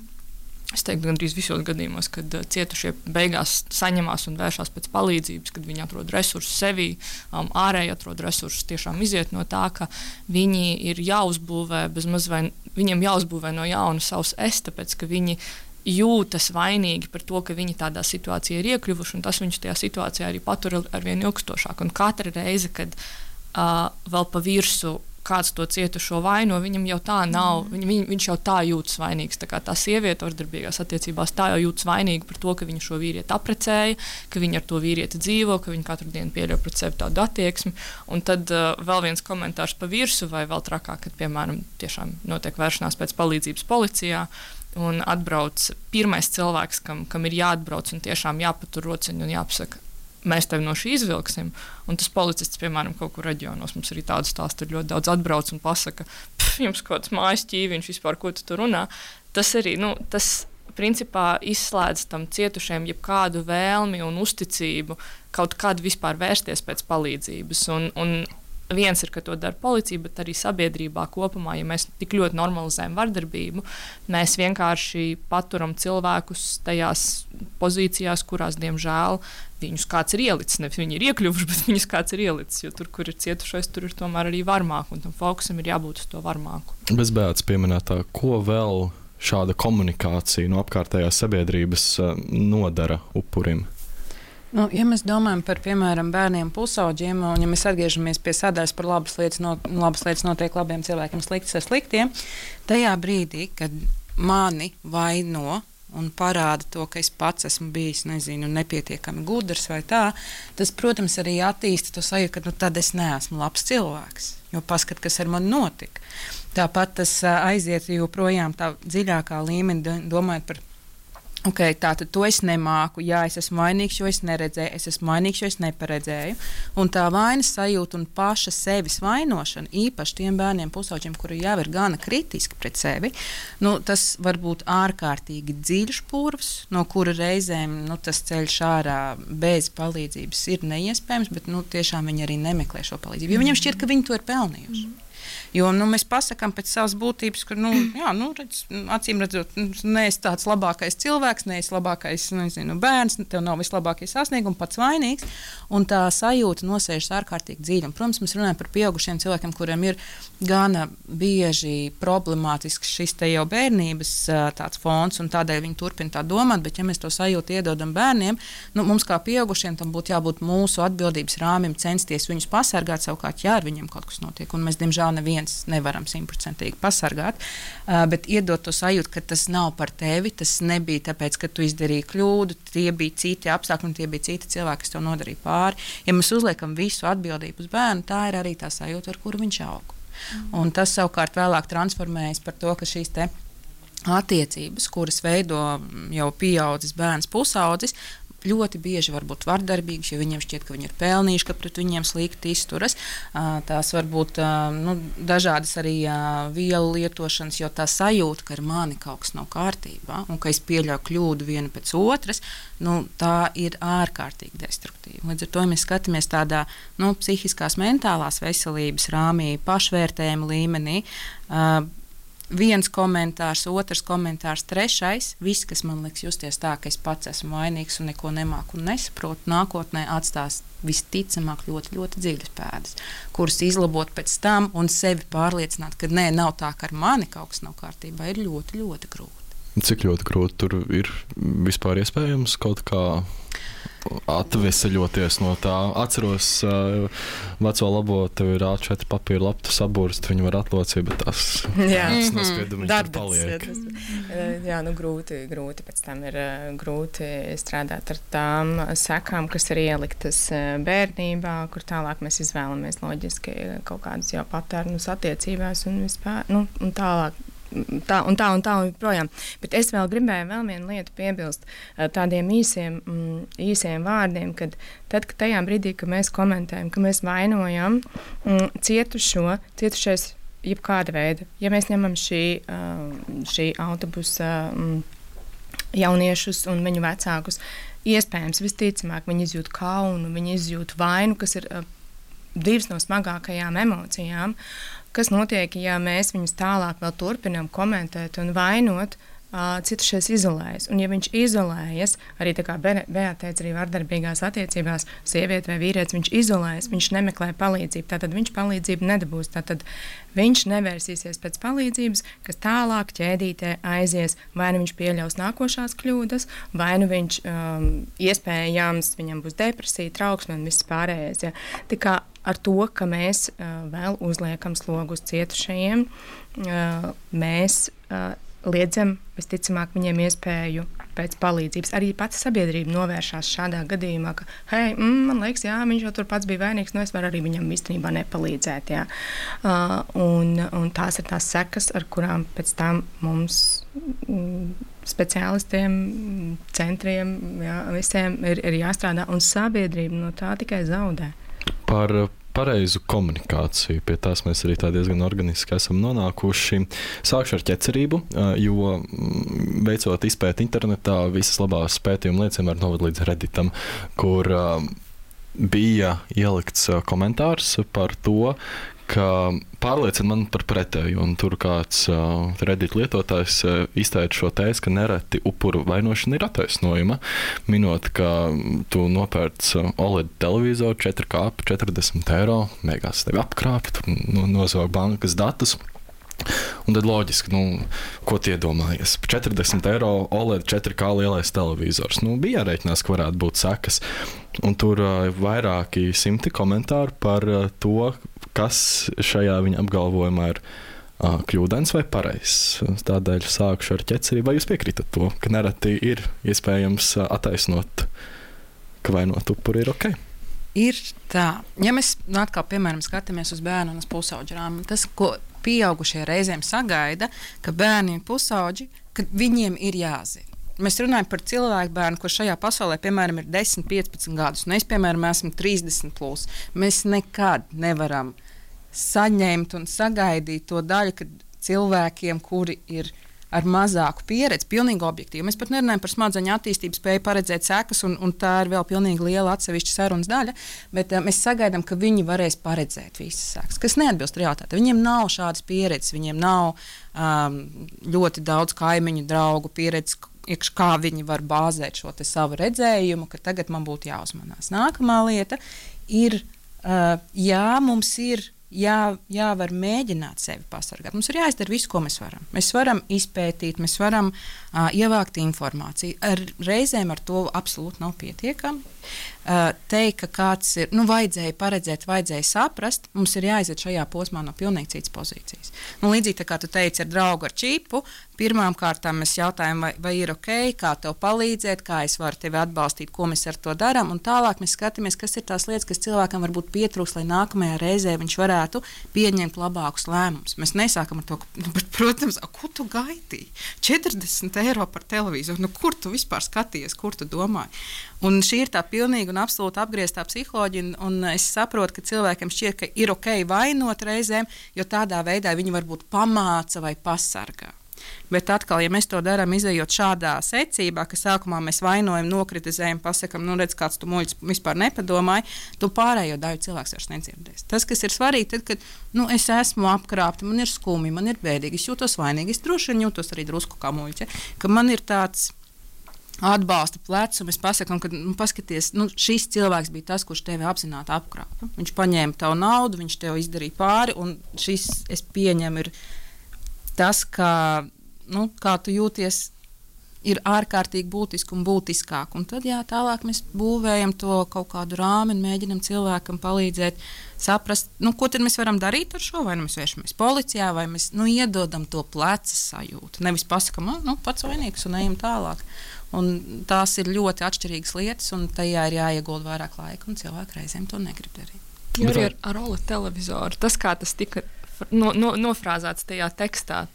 es teiktu, gandrīz visos gadījumos, kad cietušie beigās saņemās un vēršās pēc palīdzības, kad viņi atrod resursus sevī, um, ārēji atrod resursus, tiešām iziet no tā, ka viņi ir jāuzbūvē, bezmaz vai viņiem jāuzbūvē no jauna savs es, tāpēc, ka viņi jūtas vainīgi par to, ka viņi tādā situācijā ir iekļuvuši, un tas viņus tajā situācijā arī patur ar vien ilgstošāk. Un katra reize, kad uh, vēl pa virsu kāds to cietušo vaino, viņam jau tā nav, viņ, viņ, viņš jau tā jūtas vainīgs. Tā kā tā sieviete vardarbīgās attiecībās tā jau jūtas vainīga par to, ka viņa šo vīrieti aprecēja, ka viņa ar to vīrieti dzīvo, ka viņa katru dienu pieļauj pret sevi tādu attieksmi. Un tad uh, vēl viens komentārs pa virsu, vai vēl trakāk, kad, piemēram, tiešām notiek vēršanās pēc palīdzības policijā, un atbrauc pirmais cilvēks, kam, kam ir jāatbrauc un tiešām jāpatur rociņu un jāpasaka, mēs tevi no šī izvilksim. Un tas policists, piemēram, kaut kur reģionos, mums arī tādu stāstu ir ļoti daudz atbrauc un pasaka, jums kaut kāds mājas ķīviņš vispār, ko tu tur runā. Tas arī, nu, tas principā izslēdz tam cietušiem jebkādu vēlmi un uzticību kaut kādu vispār vērsties pēc palīdzības. Un, un viens ir, ka to dara policija, bet arī sabiedrībā kopumā, ja mēs tik ļoti normalizējam vardarbību, mēs vienkārši paturam cilvēkus tajās pozīcijās, kurās, diemžēl, viņus kāds ir ielicis. Nevis viņi ir iekļuvuši, bet viņus kāds ir ielicis, jo tur, kur ir cietušais, tur ir tomēr arī varmāk, un tam fokusam ir jābūt uz to varmāku. Bezbēdas pieminētā, ko vēl šāda komunikācija no apkārtējās sabiedrības nodara upurim? Nu, ja mēs domājam par, piemēram, bērniem pusauģiem, un ja mēs atgriežamies pie sadaļas par labas lietas, no, labas lietas notiek labiem cilvēkiem, sliktas ar sliktiem, tajā brīdī, kad mani vaino un parāda to, ka es pats esmu bijis, nezinu, nepietiekami gudrs vai tā, tas, protams, arī attīsta to sajūtu, ka nu, tad es neesmu labs cilvēks, jo paskat, kas ar mani notika. Tāpat tas aiziet joprojām tā dziļākā līmenī, domājot par ok, tātad to es nemāku, jā, es esmu vainīgs, jo es neredzēju, es esmu vainīgs, jo es neparedzēju. Un tā vainas sajūta un paša sevis vainošana, īpaši tiem bērniem pusauģiem, kuri jau ir gana kritiski pret sevi, nu, tas var būt ārkārtīgi dziļš purvs, no kura reizēm nu, tas ceļš ārā bez palīdzības ir neiespējams, bet nu, tiešām viņi arī nemeklē šo palīdzību, jo viņiem šķiet, ka viņi to ir pelnījuši. Mm. Jo nu, mēs pasakām pēc savas būtības, ka, nu, jā, nu, redz, acīm redzot, neesi tāds labākais cilvēks, neesi labākais nezinu, bērns, tev nav vislabākie sasniegumi, pats vainīgs. Un tā sajūta nosēžas ārkārtīgi dziļi. Un, protams, mēs runājam par pieaugušiem cilvēkiem, kuriem ir gana bieži problemātisks šis te jau bērnības tāds fons, un tādēļ viņi turpina tā domāt. Bet, ja mēs to sajūtu iedodam bērniem, nu, mums kā pieaugušiem tam būtu jābūt mūsu atbildības rāmim, censties viņus pasargāt, savukārt, ja ar viņiem kaut kas notiek. Un mēs, diemžēl, neviens nevaram simtprocentīgi pasargāt, uh, bet iedot to sajūtu, ka tas nav par tevi, tas nebija tāpēc, ka tu izdarīji kļūdu, tie bija citi apstākļi un tie bija citi cilvēki, kas tev nodarīja pāri. Ja mēs uzliekam visu atbildību uz bērnu, tā ir arī tā sajūta, ar kuru viņš aug. Mm. Un tas savukārt vēlāk transformējas par to, ka šīs te attiecības, kuras veido jau pieaudzis bērns pusaudzis, ļoti bieži var būt vardarbīgas, jo viņiem šķiet, ka viņi ir pelnījuši, ka pret viņiem slikti izturas. Tās var būt nu, dažādas arī vielu lietošanas, jo tā sajūta, ka ar mani kaut kas nav kārtībā un ka es pieļauju kļūdu viena pēc otras, nu, tā ir ārkārtīgi destruktīva. Līdz ar to, ja mēs skatāmies tādā nu, psihiskās, mentālās veselības rāmī, pašvērtējuma līmenī, viens komentārs, otrs komentārs, trešais. Viss, kas man liekas justies tā, ka es pats esmu vainīgs un neko nemāku un nesaprotu, nākotnē atstās visticamāk ļoti, ļoti dziļas pēdas, kuras izlabot pēc tam un sevi pārliecināt, ka nē, nav tā, ka ar mani kaut kas nav kārtībā, ir ļoti, ļoti grūti. Cik ļoti grūti tur ir vispār iespējams kaut kā atveseļoties no tā? Atceros uh, veco labo, tev ir A četri papīra laptu saburst, viņu var atlocīt, bet tas, tas nospiedumi tur paliek. Jā, nu grūti, grūti pēc tam ir grūti strādāt ar tām sekām, kas ir ieliktas bērnībā, kur tālāk mēs izvēlamies loģiski kaut kādus jau patērnus attiecībās un vispār, nu, un tālāk. Tā un tā un tā un projām. Bet es vēl gribēju vēl vienu lietu piebilst tādiem īsiem, mm, īsiem vārdiem, kad tad, kad tajā brīdī, kad mēs komentējam, ka mēs vainojam mm, cietušo, cietušais jebkāda veida, ja mēs ņemam šī, šī autobusa mm, jauniešus un viņu vecākus, iespējams, visticamāk, viņi izjūt kaunu, viņi izjūt vainu, kas ir divas no smagākajām emocijām. Kas notiek, ja mēs viņus tālāk vēl turpinām komentēt un vainot, uh, cietušais izolējas. Un ja viņš izolējas, arī tā kā Bea teica, arī vardarbīgās attiecībās, sieviete vai vīrietis, viņš izolējas, viņš nemeklē palīdzību, tātad viņš palīdzību nedabūs, tātad viņš nevērsīsies pēc palīdzības, kas tālāk ķēdītē aizies, vai nu viņš pieļaus nākošās kļūdas, vai nu viņš um, iespējams, viņam būs depresija, trauksme un viss pārējais. Ja. Tā kā ar to, ka mēs uh, vēl uzliekam slogu uz cietušajiem, uh, mēs uh, liedzam, visticamāk, viņiem iespēju pēc palīdzības. Arī pati sabiedrība novēršās šādā gadījumā, ka, hei, mm, man liekas, jā, viņš jau tur pats bija vainīgs, nu es varu arī viņam īstenībā nepalīdzēt. Jā. Uh, un, un tās ir tās sekas, ar kurām pēc tam mums mm, speciālistiem, centriem, jā, visiem ir, ir jāstrādā, un sabiedrība no tā tikai zaudē. Par pareizu komunikāciju, pie tās mēs arī tā diezgan organiski esam nonākuši. Sākšu ar ķecerību, jo veicot izpēti internetā, visas labās pētījuma liecina var noved līdz Redditam, kur bija ielikts komentārs par to, ka pārliecina man par pretēju, un tur kāds uh, Reddit lietotājs uh, izteica šo tēzi, ka nereti upuru vainošana ir attaisnojuma, minot, ka tu nopērc uh, O L E D televizoru četri K par četrdesmit eiro, beigās tevi apkrāpj, tu no, nozog bankas datus. Un tad loģiski, nu, ko tie domājies? četrdesmit eiro O L E D četri K lielais televizors. Nu, bija jārēķinās, ka varētu būt sekas. Un tur uh, vairāki simti komentāru par uh, to, kas šajā viņa apgalvojumā ir uh, kļūdains vai pareizs. Tādēļ sākšu ar ķeceri. Vai jūs piekrītat to, ka nereti ir iespējams uh, attaisnot, ka vainot upuri ir ok? Ir tā. Ja mēs nu, atkal, piemēram, skatāmies uz bērnu un uz pusauģiem, tas, ko pieaugušie reizēm sagaida, ka bērni un pusauģi, ka viņiem ir jāzina. Mēs runājam par cilvēku bērnu, kurš šajā pasaulē, piemēram, ir desmit, piecpadsmit gadus, un es, piemēram, esmu trīsdesmit plus. Mēs nekad nevaram saņemt un sagaidīt to daļu, ka cilvēkiem, kuri ir ar mazāku pieredzi, pilnīgi objektīvi. Mēs pat nerunājam par smadzeņu attīstību, spēju paredzēt sekas, un, un tā ir vēl pilnīgi liela atsevišķa sarunas daļa, bet uh, mēs sagaidām, ka viņi varēs paredzēt visas sekas, kas neatbilst realitātei. Viņiem nav šādas pieredzes, viņiem nav um, ļoti daudz kaimiņu, draugu pieredzes, kā viņi var bāzēt šo te savu redzējumu, ka tagad man būtu jāuzmanās. Nākamā lieta ir, uh, jā, mums ir Jā, jāvar mēģināt sevi pasargāt. Mums ir jāizdara visu, ko mēs varam. Mēs varam izpētīt, mēs varam uh, ievākt informāciju. Ar, reizēm ar to absolūti nav pietiekami. Uh, teikt, ka kāds ir, nu, vajadzēja paredzēt, vajadzēja saprast, mums ir jāiziet šajā posmā no pilnīgi citas pozīcijas. Nu, līdzīgi tā kā tu teici ar draugu ar čipu, pirmām kārtām mēs jautājam, vai, vai ir ok, kā tev palīdzēt, kā es varu tevi atbalstīt, ko mēs ar to darām, un tālāk mēs skatāmies, kas ir tās lietas, kas cilvēkam varbūt pietrūks, lai nākamajā reizē viņš varētu pieņemt labākus lēmumus. Mēs nesākam ar to, ka, bet, protams, a, ko tu gaidīji? četrdesmit eiro par televizoru, nu kur tu vispār skatījies, kur tu domāji? Un šī ir tā pilnīgi un absolūti apgrieztā psiholoģija, un, un es saprotu, ka cilvēkiem šķiet, ka ir ok vainot reizēm, jo tādā veidā viņi varbūt pamāca vai pasargā. Bet atkal, ja mēs to darām izējot šādā secībā, ka sākumā mēs vainojam, nokritizējam, pasakam, nu redz, kāds tu muļķis vispār nepadomāji, tu pārējo daļu cilvēks vairs nedzirdēs. Tas, kas ir svarīgi, tad, kad nu, es esmu apkrāpta, man ir skumji, man ir bēdīgi, es jūtos vainīgi, es droši vien jūtos arī drusku kā muļķe, ka man ir tāds atbalsta plecs, un mēs pasakām, ka nu, paskaties, nu, šis cilvēks bija tas, kurš tevi apzināti apkrāpa. Viņš paņēma tavu naudu, viņš tev izdarīja pāri, un šis, es pieņemu, ir tas, kā, nu, kā tu jūties, ir ārkārtīgi būtiski un būtiskāk. Un tad, jā, tālāk mēs būvējam to kaut kādu rāmi un mēģinam cilvēkam palīdzēt saprast, nu, ko tad mēs varam darīt ar šo, vai nu mēs vēršamies policijā, vai mēs, nu, iedodam to pleca sajūtu. Nevis pasakam, nu, pats vainīgs un ejam tālāk. Un tās ir ļoti atšķirīgas lietas, un tajā ir jāiegulda vairāk laika, un cilvēki reizēm to negrib darīt. Jo arī ar, ar O L E D televizoru, tas, kā tas tika no, no, nofrāzēts tajā tekstā,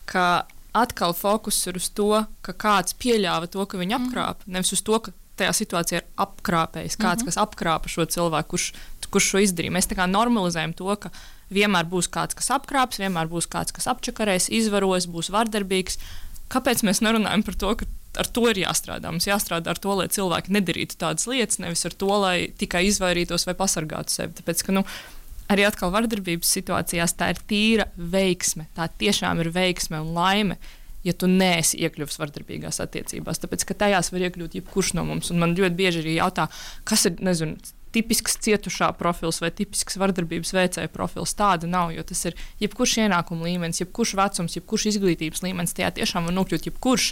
ka atkal fokus ir uz to, ka kāds pieļāva to, ka viņu apkrāpa, mm. nevis uz to, ka tajā situācijā ir apkrāpējis kāds, mm-hmm. kas apkrāpa šo cilvēku, kurš, kurš šo izdarīja. Mēs tā kā normalizējam to, ka vienmēr būs kāds, kas apkrāps, vienmēr būs kāds, kas apčakarēs, izvaros, būs vardarbīgs. Kāpēc mēs nerunājam par to, ka ar to ir jāstrādā? Mums jāstrādā ar to, lai cilvēki nedarītu tādas lietas, nevis ar to, lai tikai izvairītos vai pasargātu sevi. Tāpēc, ka, nu, arī atkal vardarbības situācijās tā ir tīra veiksme. Tā tiešām ir veiksme un laime, ja tu neesi iekļuvis vardarbīgās attiecībās. Tāpēc, ka tajās var iekļūt jebkurš no mums. Un man ļoti bieži arī jautā, kas ir, nezinu, tipisks cietušā profils vai tipisks vardarbības veicēja profils. Tāda nav, jo tas ir jebkurš ienākuma līmenis, jebkurš vecums, jebkurš izglītības līmenis. Tajā tiešām var nokļūt jebkurš.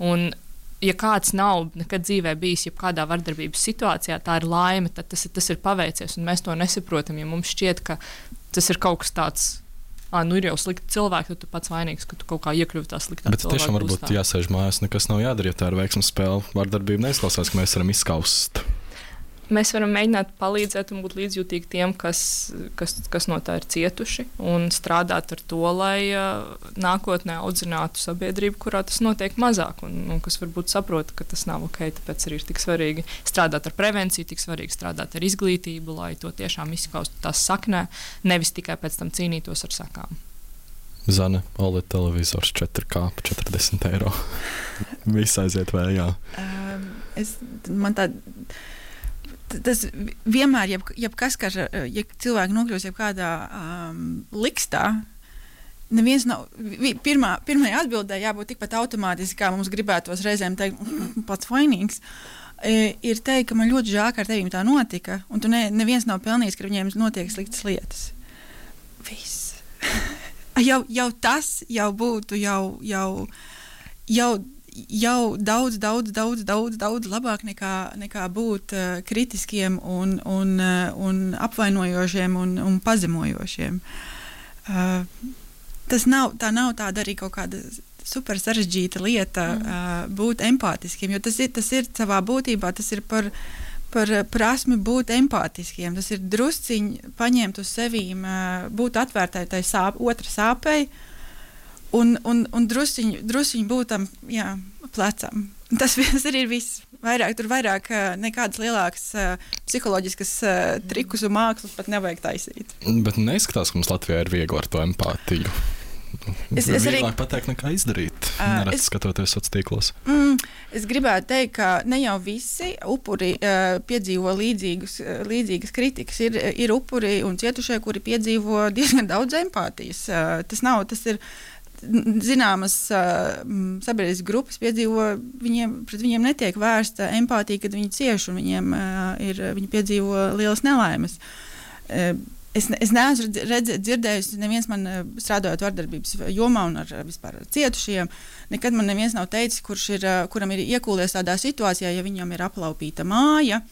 Un, ja kāds nav nekad dzīvē bijis jebkādā vardarbības situācijā, tā ir laime, tad tas ir, tas ir paveicies, un mēs to nesaprotam, ja mums šķiet, ka tas ir kaut kas tāds, ā, nu ir jau slikti cilvēki, tad tu pats vainīgs, ka tu kaut kā iekļuvi tā sliktā cilvēka. Bet tiešām varbūt būstā. Jāsēž mājās, nekas nav jādara, ja tā ir veiksmes spēle. Vardarbība neizklausās, ka mēs varam izskaust. Mēs varam mēģināt palīdzēt un būt līdzjūtīgi tiem, kas, kas, kas no tā ir cietuši, un strādāt ar to, lai uh, nākotnē audzinātu sabiedrību, kurā tas notiek mazāk, un, un kas varbūt saprot, ka tas nav ok. Tāpēc arī ir tik svarīgi strādāt ar prevenciju, tik svarīgi strādāt ar izglītību, lai to tiešām izskaustu tās saknē, nevis tikai pēc tam cīnītos ar sakām. Zane, O L E D televizors četri K par četrdesmit eiro. Viss aiziet vējā. Um, es, man tā... Tas vienmēr, jeb, jebkas, ka ja cilvēki nokļūst jebkādā um, likstā, neviens nav, vi, pirmā, pirmajā atbildē jābūt tikpat automātiski, kā mums gribētos reizēm teikt, pats vainīgs, e, ir teikt, ka man ļoti žēl, ka ar tevīm tā notika, un tu ne, neviens nav pelnījis, ka viņiem notiek sliktas lietas. Viss. jau, jau tas jau būtu jau, jau, jau, jau daudz, daudz, daudz, daudz, daudz labāk nekā, nekā būt uh, kritiskiem un, un, uh, un apvainojošiem un, un pazemojošiem. Uh, tas nav, tā nav tāda arī kaut kāda super sarežģīta lieta mm. uh, būt empātiskiem, jo tas ir, tas ir savā būtībā, tas ir par, par prasmi būt empātiskiem, tas ir drusciņi paņemt uz sevīm, uh, būt atvērtai tai sāp, otra sāpei un, un, un drusciņi, drusciņi būt tam, jā, plecam. Tas, tas arī ir viss. Vairāk, tur vairāk nekādas lielākas uh, psiholoģiskas uh, trikus un mākslas pat nevajag taisīt. Bet neizskatās, ka mums Latvijā ir viegli ar to empātiju. Es, es arī vieglāk pateikt, nekā izdarīt, uh, nereti skatoties sociālos tīklos. Mm, es gribētu teikt, ka ne jau visi upuri uh, piedzīvo līdzīgus, uh, līdzīgas kritikas. Ir, ir upuri un cietušie, kuri piedzīvo diezgan daudz empātijas. Uh, tas nav, tas ir zināmas uh, sabiedriskas grupas piedzīvo, viņiem, pret viņiem netiek vērsta empātija, kad viņi cieš un viņiem uh, ir, viņi piedzīvo lielas nelaimes. Uh, es, es neesmu redz, dzirdējusi, neviens man strādājot vardarbības jomā un ar vispār cietušiem, nekad man neviens nav teicis, kurš ir, kuram ir iekūlies tādā situācijā, ja viņam ir aplaupīta māja,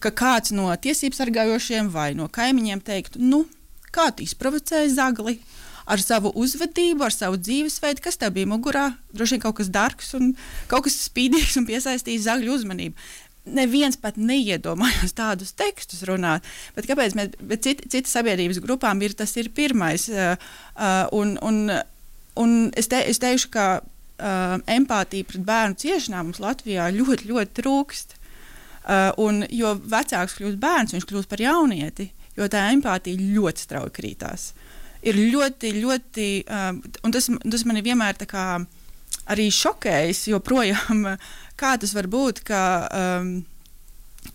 ka kāds no tiesību sargājošiem vai no kaimiņiem teiktu, nu, kā tu izprovocēji zagli, ar savu uzvedību, ar savu dzīvesveidu, kas tev bija mugurā, droši vien kaut kas darks un kaut kas spīdīgs un piesaistījis zagļu uzmanību. Neviens pat neiedomājās tādus tekstus runāt, bet kāpēc mēs, bet cita, cita sabiedrības grupām ir, tas ir pirmais, uh, uh, un, un, un es, te, es teikšu, ka uh, empātija pret bērnu ciešanām mums Latvijā ļoti, ļoti trūkst, uh, un jo vecāks kļūst bērns, viņš kļūst par jaunieti, jo tā empātija ļoti strauji krītās. Ir ļoti, ļoti, um, un tas, tas mani vienmēr tā kā arī šokējis, joprojām, kā tas var būt, ka, um,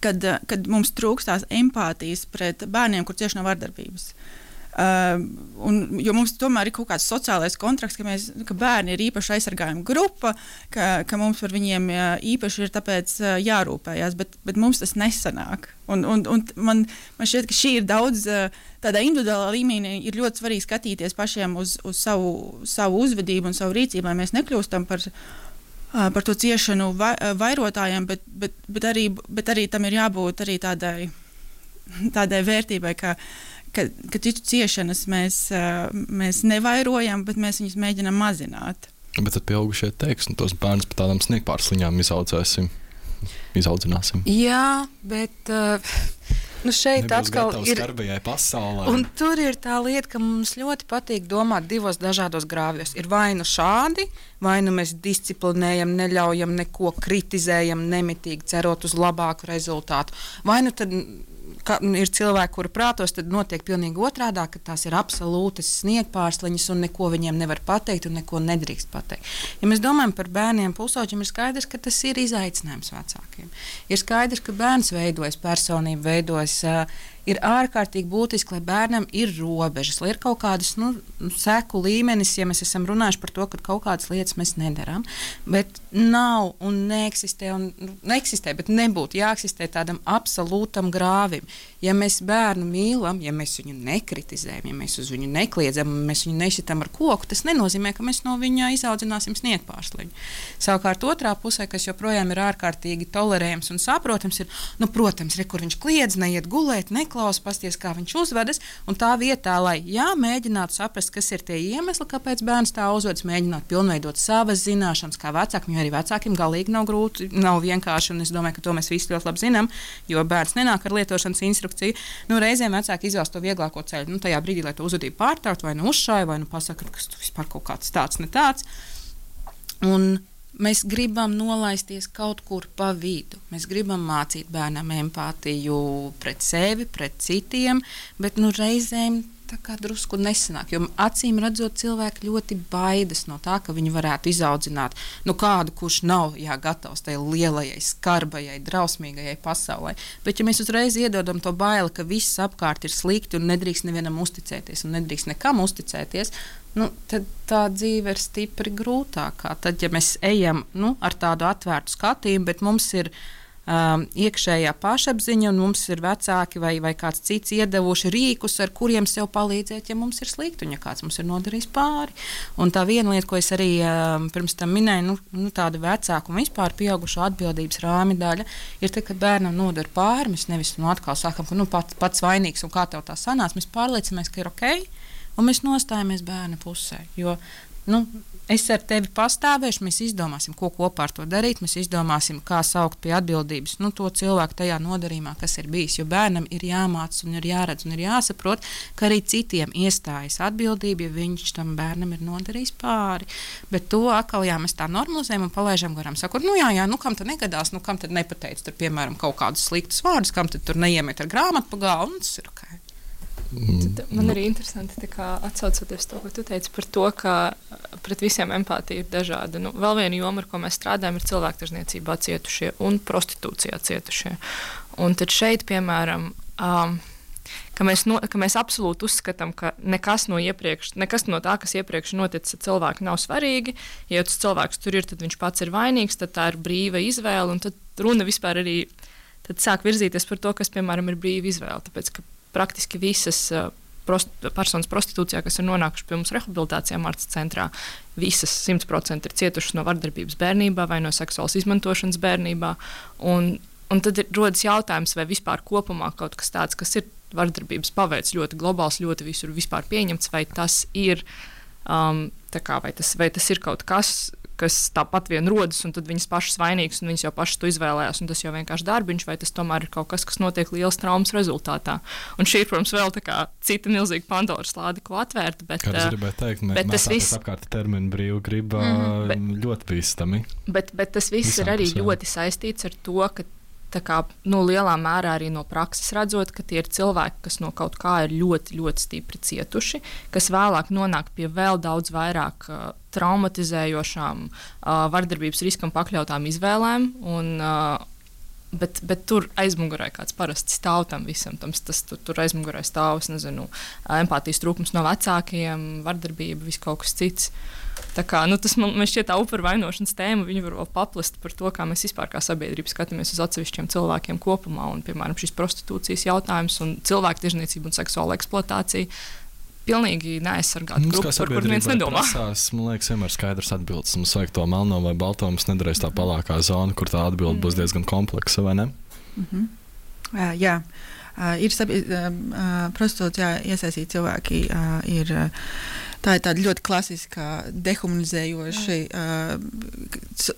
kad, kad mums trūkstās empātijas pret bērniem, kur cieši no vardarbības. Uh, un, jo mums tomēr ir kaut kāds sociālais kontrakts, ka, mēs, ka bērni ir īpaši aizsargājuma grupa, ka, ka mums par viņiem īpaši ir tāpēc jārūpējās, bet, bet mums tas nesanāk. Un, un, un man, man šķiet, ka šī ir daudz, tādā individuālā līmenī ir ļoti svarīgi skatīties pašiem uz, uz savu, savu uzvedību un savu rīcību, lai mēs nekļūstam par, par to ciešanu vai, vairotājiem, bet, bet, bet, arī, bet arī tam ir jābūt arī tādai, tādai vērtībai, ka ka, ka citu ciešanas mēs, mēs nevairojam, bet mēs viņus mēģinām mazināt. Bet tad pieaugušie teiks, un tos bērnus par tādām sniegpārsliņām izaudzēsim, izaudzināsim. Jā, bet uh, nu šeit Nebūs atkal ir skarbajai pasaulē. Un tur ir tā lieta, ka mums ļoti patīk domāt divos dažādos grāvjos. Ir vai nu šādi, vai nu mēs disciplinējam, neļaujam neko, kritizējam nemitīgi, cerot uz labāku rezultātu. Vai nu tad ka ir cilvēki, kuri prātos, tad notiek pilnīgi otrādā, ka tās ir absolūtas sniegpārsliņas un neko viņiem nevar pateikt un neko nedrīkst pateikt. Ja mēs domājam par bērniem pusauģiem, ir skaidrs, ka tas ir izaicinājums vecākiem. Ir skaidrs, ka bērns veidojas, personība veidojas, uh, ir ārkārtīgi būtiski, lai bērnam ir robežas, lai ir kaut kādas nu, seku līmenis, ja mēs esam runājuši par to, ka kaut kādas lietas mēs nedarām, bet nav un neeksistē, un, nu, neeksistē, bet nebūtu jāeksistē tādam absolūtam grāvim. Ja mēs bērnu mīlam, ja mēs viņu nekritizējam, ja mēs uz viņu nekliedzam, mēs viņu nešitam ar koku, tas nenozīmē, ka mēs no viņa izaudzināsim sniegpārsliņu. Savukārt otrā pusē, kas joprojām ir ārkārtīgi tolerējams un saprotams, ir, nu, protams, re, kur viņš kliedz, neiet gulēt, neklaus, pasties, kā viņš uzvedas, un tā vietā, lai, jā, mēģinātu saprast, kas ir tie iemesli, kāpēc bērns tā uzvedas, mēģināt pilnveidot savas zināšanas, kā vecākiem, jo arī vecākiem galīgi nav grūti, nav vienkārši, un es domāju, ka to mēs visi ļoti labi zinām, jo bērns nenāk ar lietošanas instrukciju. Nu, reizēm vecāki izvēlas to vieglāko ceļu. Nu, tajā brīdī, lai to uzvedību pārtraukt, vai nu uzšāja, vai nu pasaka, ka tas vispār kaut kāds tāds, ne tāds. Un mēs gribam nolaisties kaut kur pa vidu. Mēs gribam mācīt bērnam empātiju pret sevi, pret citiem, bet nu, reizēm tā kā drusku nesanāk, jo acīm redzot cilvēki ļoti baidas no tā, ka viņi varētu izaudzināt nu, kādu, kurš nav jā, gatavs tai lielajai, skarbajai, drausmīgajai pasaulē. Bet ja mēs uzreiz iedodam to baili, ka viss apkārt ir slikti un nedrīkst nevienam uzticēties un nedrīkst nekam uzticēties, nu, tad tā dzīve ir stipri grūtākā. Tad, ja mēs ejam nu, ar tādu atvērtu skatījumu, bet mums ir um, iekšējā pašapziņa, un mums ir vecāki vai, vai kāds cits iedevuši rīkus, ar kuriem sev palīdzēt, ja mums ir slikti un ja kāds mums ir nodarījis pāri. Un tā viena lieta, ko es arī um, pirms tam minēju, nu, nu, tāda vecāka un vispār pieaugušo atbildības rāmi daļa, ir tad, kad bērnam nodara pāri, mēs nevis nu, atkal sākam, ka nu, pats, pats vainīgs un kā tev tā sanāca, mēs pārliecinamies, ka ir ok, un mēs nostājamies bērna pusē, jo nu, es ar tevi pastāvēšu, mēs izdomāsim, ko kopā ar to darīt, mēs izdomāsim, kā saukt pie atbildības nu, to cilvēku tajā nodarījumā, kas ir bijis, jo bērnam ir jāmāc un ir jāredz un ir jāsaprot, ka arī citiem iestājas atbildība, ja viņš tam bērnam ir nodarījis pāri. Bet to atkal, jā, mēs tā normalizējam un palaižam garām, sakot, nu jā, jā, nu kam tad negadās, nu kam tad nepateic, tur, piemēram, kaut kādus sliktus vārdus, kam tad tur neiemet ar grāmatu pa galvu, un tas ir ok. Tad man arī interesanti atsaucoties to, ko tu teici par to, ka pret visiem empātija ir dažāda. Nu, vēl viena joma, ar ko mēs strādājam, ir cilvēktirzniecībā cietušie un prostitūcijā cietušie. Un tad šeit, piemēram, um, ka, mēs no, ka mēs absolūti uzskatām, ka nekas no, iepriekš, nekas no tā, kas iepriekš noticis ar cilvēku, nav svarīgi. Ja tas cilvēks tur ir, tad viņš pats ir vainīgs, tad tā ir brīva izvēle. Un tad runa vispār arī tad sāk virzīties par to, kas, piemēram, ir brīva izvēle. Tāpēc, ka praktiski visas uh, prost, personas prostitūcijā, kas ir nonākušas pie mums rehabilitācijā Martas centrā, visas simt procenti ir cietušas no vardarbības bērnībā vai no seksuālas izmantošanas bērnībā. Un, un tad ir, rodas jautājums, vai vispār kopumā kaut kas tāds, kas ir vardarbības paveids ļoti globāls, ļoti visur vispār pieņemts, vai tas ir, um, tā kā, vai tas, vai tas ir kaut kas, kas tāpat vien rodas, un tad viņas pašas vainīgas, un viņas jau pašas to izvēlējās, un tas jau vienkārši darbiņš, vai tas tomēr ir kaut kas, kas notiek lielas traumas rezultātā. Un šī ir, protams, vēl tā kā cita milzīga Pandoras lāde, ko atvērt, bet, kā es gribēju teikt, bet tas viss apkārt terminu brīvu griba mm, bet, ļoti bīstami. Bet, bet tas viss Visam ir arī pusē. Ļoti saistīts ar to, ka tā kā, nu, lielā mērā arī no prakses redzot, ka tie ir cilvēki, kas no kaut kā ir ļoti, ļoti stipri cietuši, kas vēlāk nonāk pie vēl daudz vairāk uh, traumatizējošām, uh, vardarbības riskam pakļautām izvēlēm. Un, uh, bet, bet tur aizmugurē kāds parasti stāv tam visam. Tam, tas, tur, tur aizmugurē stāv, es nezinu, empātijas trūkums no vecākiem, vardarbība, viss kaut kas cits. Tā kā, nu, tas man, man šķiet tā upuru vainošanas tēma, viņi var vēl paplast par to, kā mēs vispār kā sabiedrība skatāmies uz atsevišķiem cilvēkiem kopumā. Un, piemēram, šis prostitūcijas jautājums un cilvēktirzniecība un seksuāla eksploatācija pilnīgi neaizsargāta grupa, par kur neviens nedomā. Prasās, man liekas, vienmēr skaidrs atbildes. Mums vajag to melno vai balto, mums nedarēs tā palākā zona, kur tā atbilde mm. būs diezgan kompleksa, vai ne? Mm-hmm. Jā, jā. Uh, ir sabi- uh, prostitūcijā iesaistīti cilvēki, uh, ir, uh, tā ir tāda ļoti klasiska dehumanizējoša uh,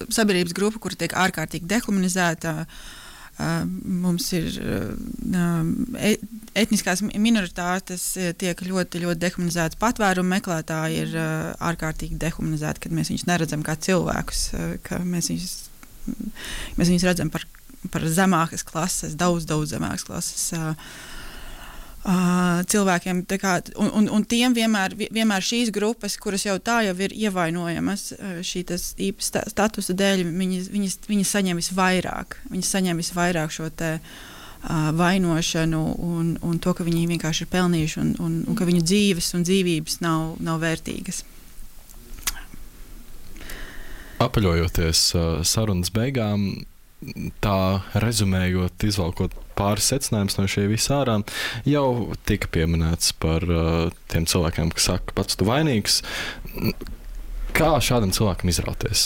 sabiedrības grupa, kura tiek ārkārtīgi dehumanizēta. Uh, mums ir uh, etniskās minoritātes tiek ļoti, ļoti dehumanizētas, patvērumu meklētāji ir uh, ārkārtīgi dehumanizēti, kad mēs viņus neredzam kā cilvēkus, uh, ka mēs viņus, mēs viņus redzam par par zemākas klases, daudz, daudz zemākas klases uh, uh, cilvēkiem. Tā kā, un, un, un tiem vienmēr, vienmēr šīs grupas, kuras jau tā jau ir ievainojamas uh, šī īpa statusa dēļ, viņas, viņas, viņas saņem visvairāk. Viņas saņem visvairāk šo te uh, vainošanu un, un to, ka viņi vienkārši ir pelnījuši un, un, un ka viņu dzīves un dzīvības nav, nav vērtīgas. Apaļojoties uh, sarunas beigām, tā rezumējot, izvalkot pāris secinājumus no šī visā ārā, jau tika pieminēts par uh, tiem cilvēkiem, kas saka, pats tu vainīgs. Kā šādam cilvēkam izrauties?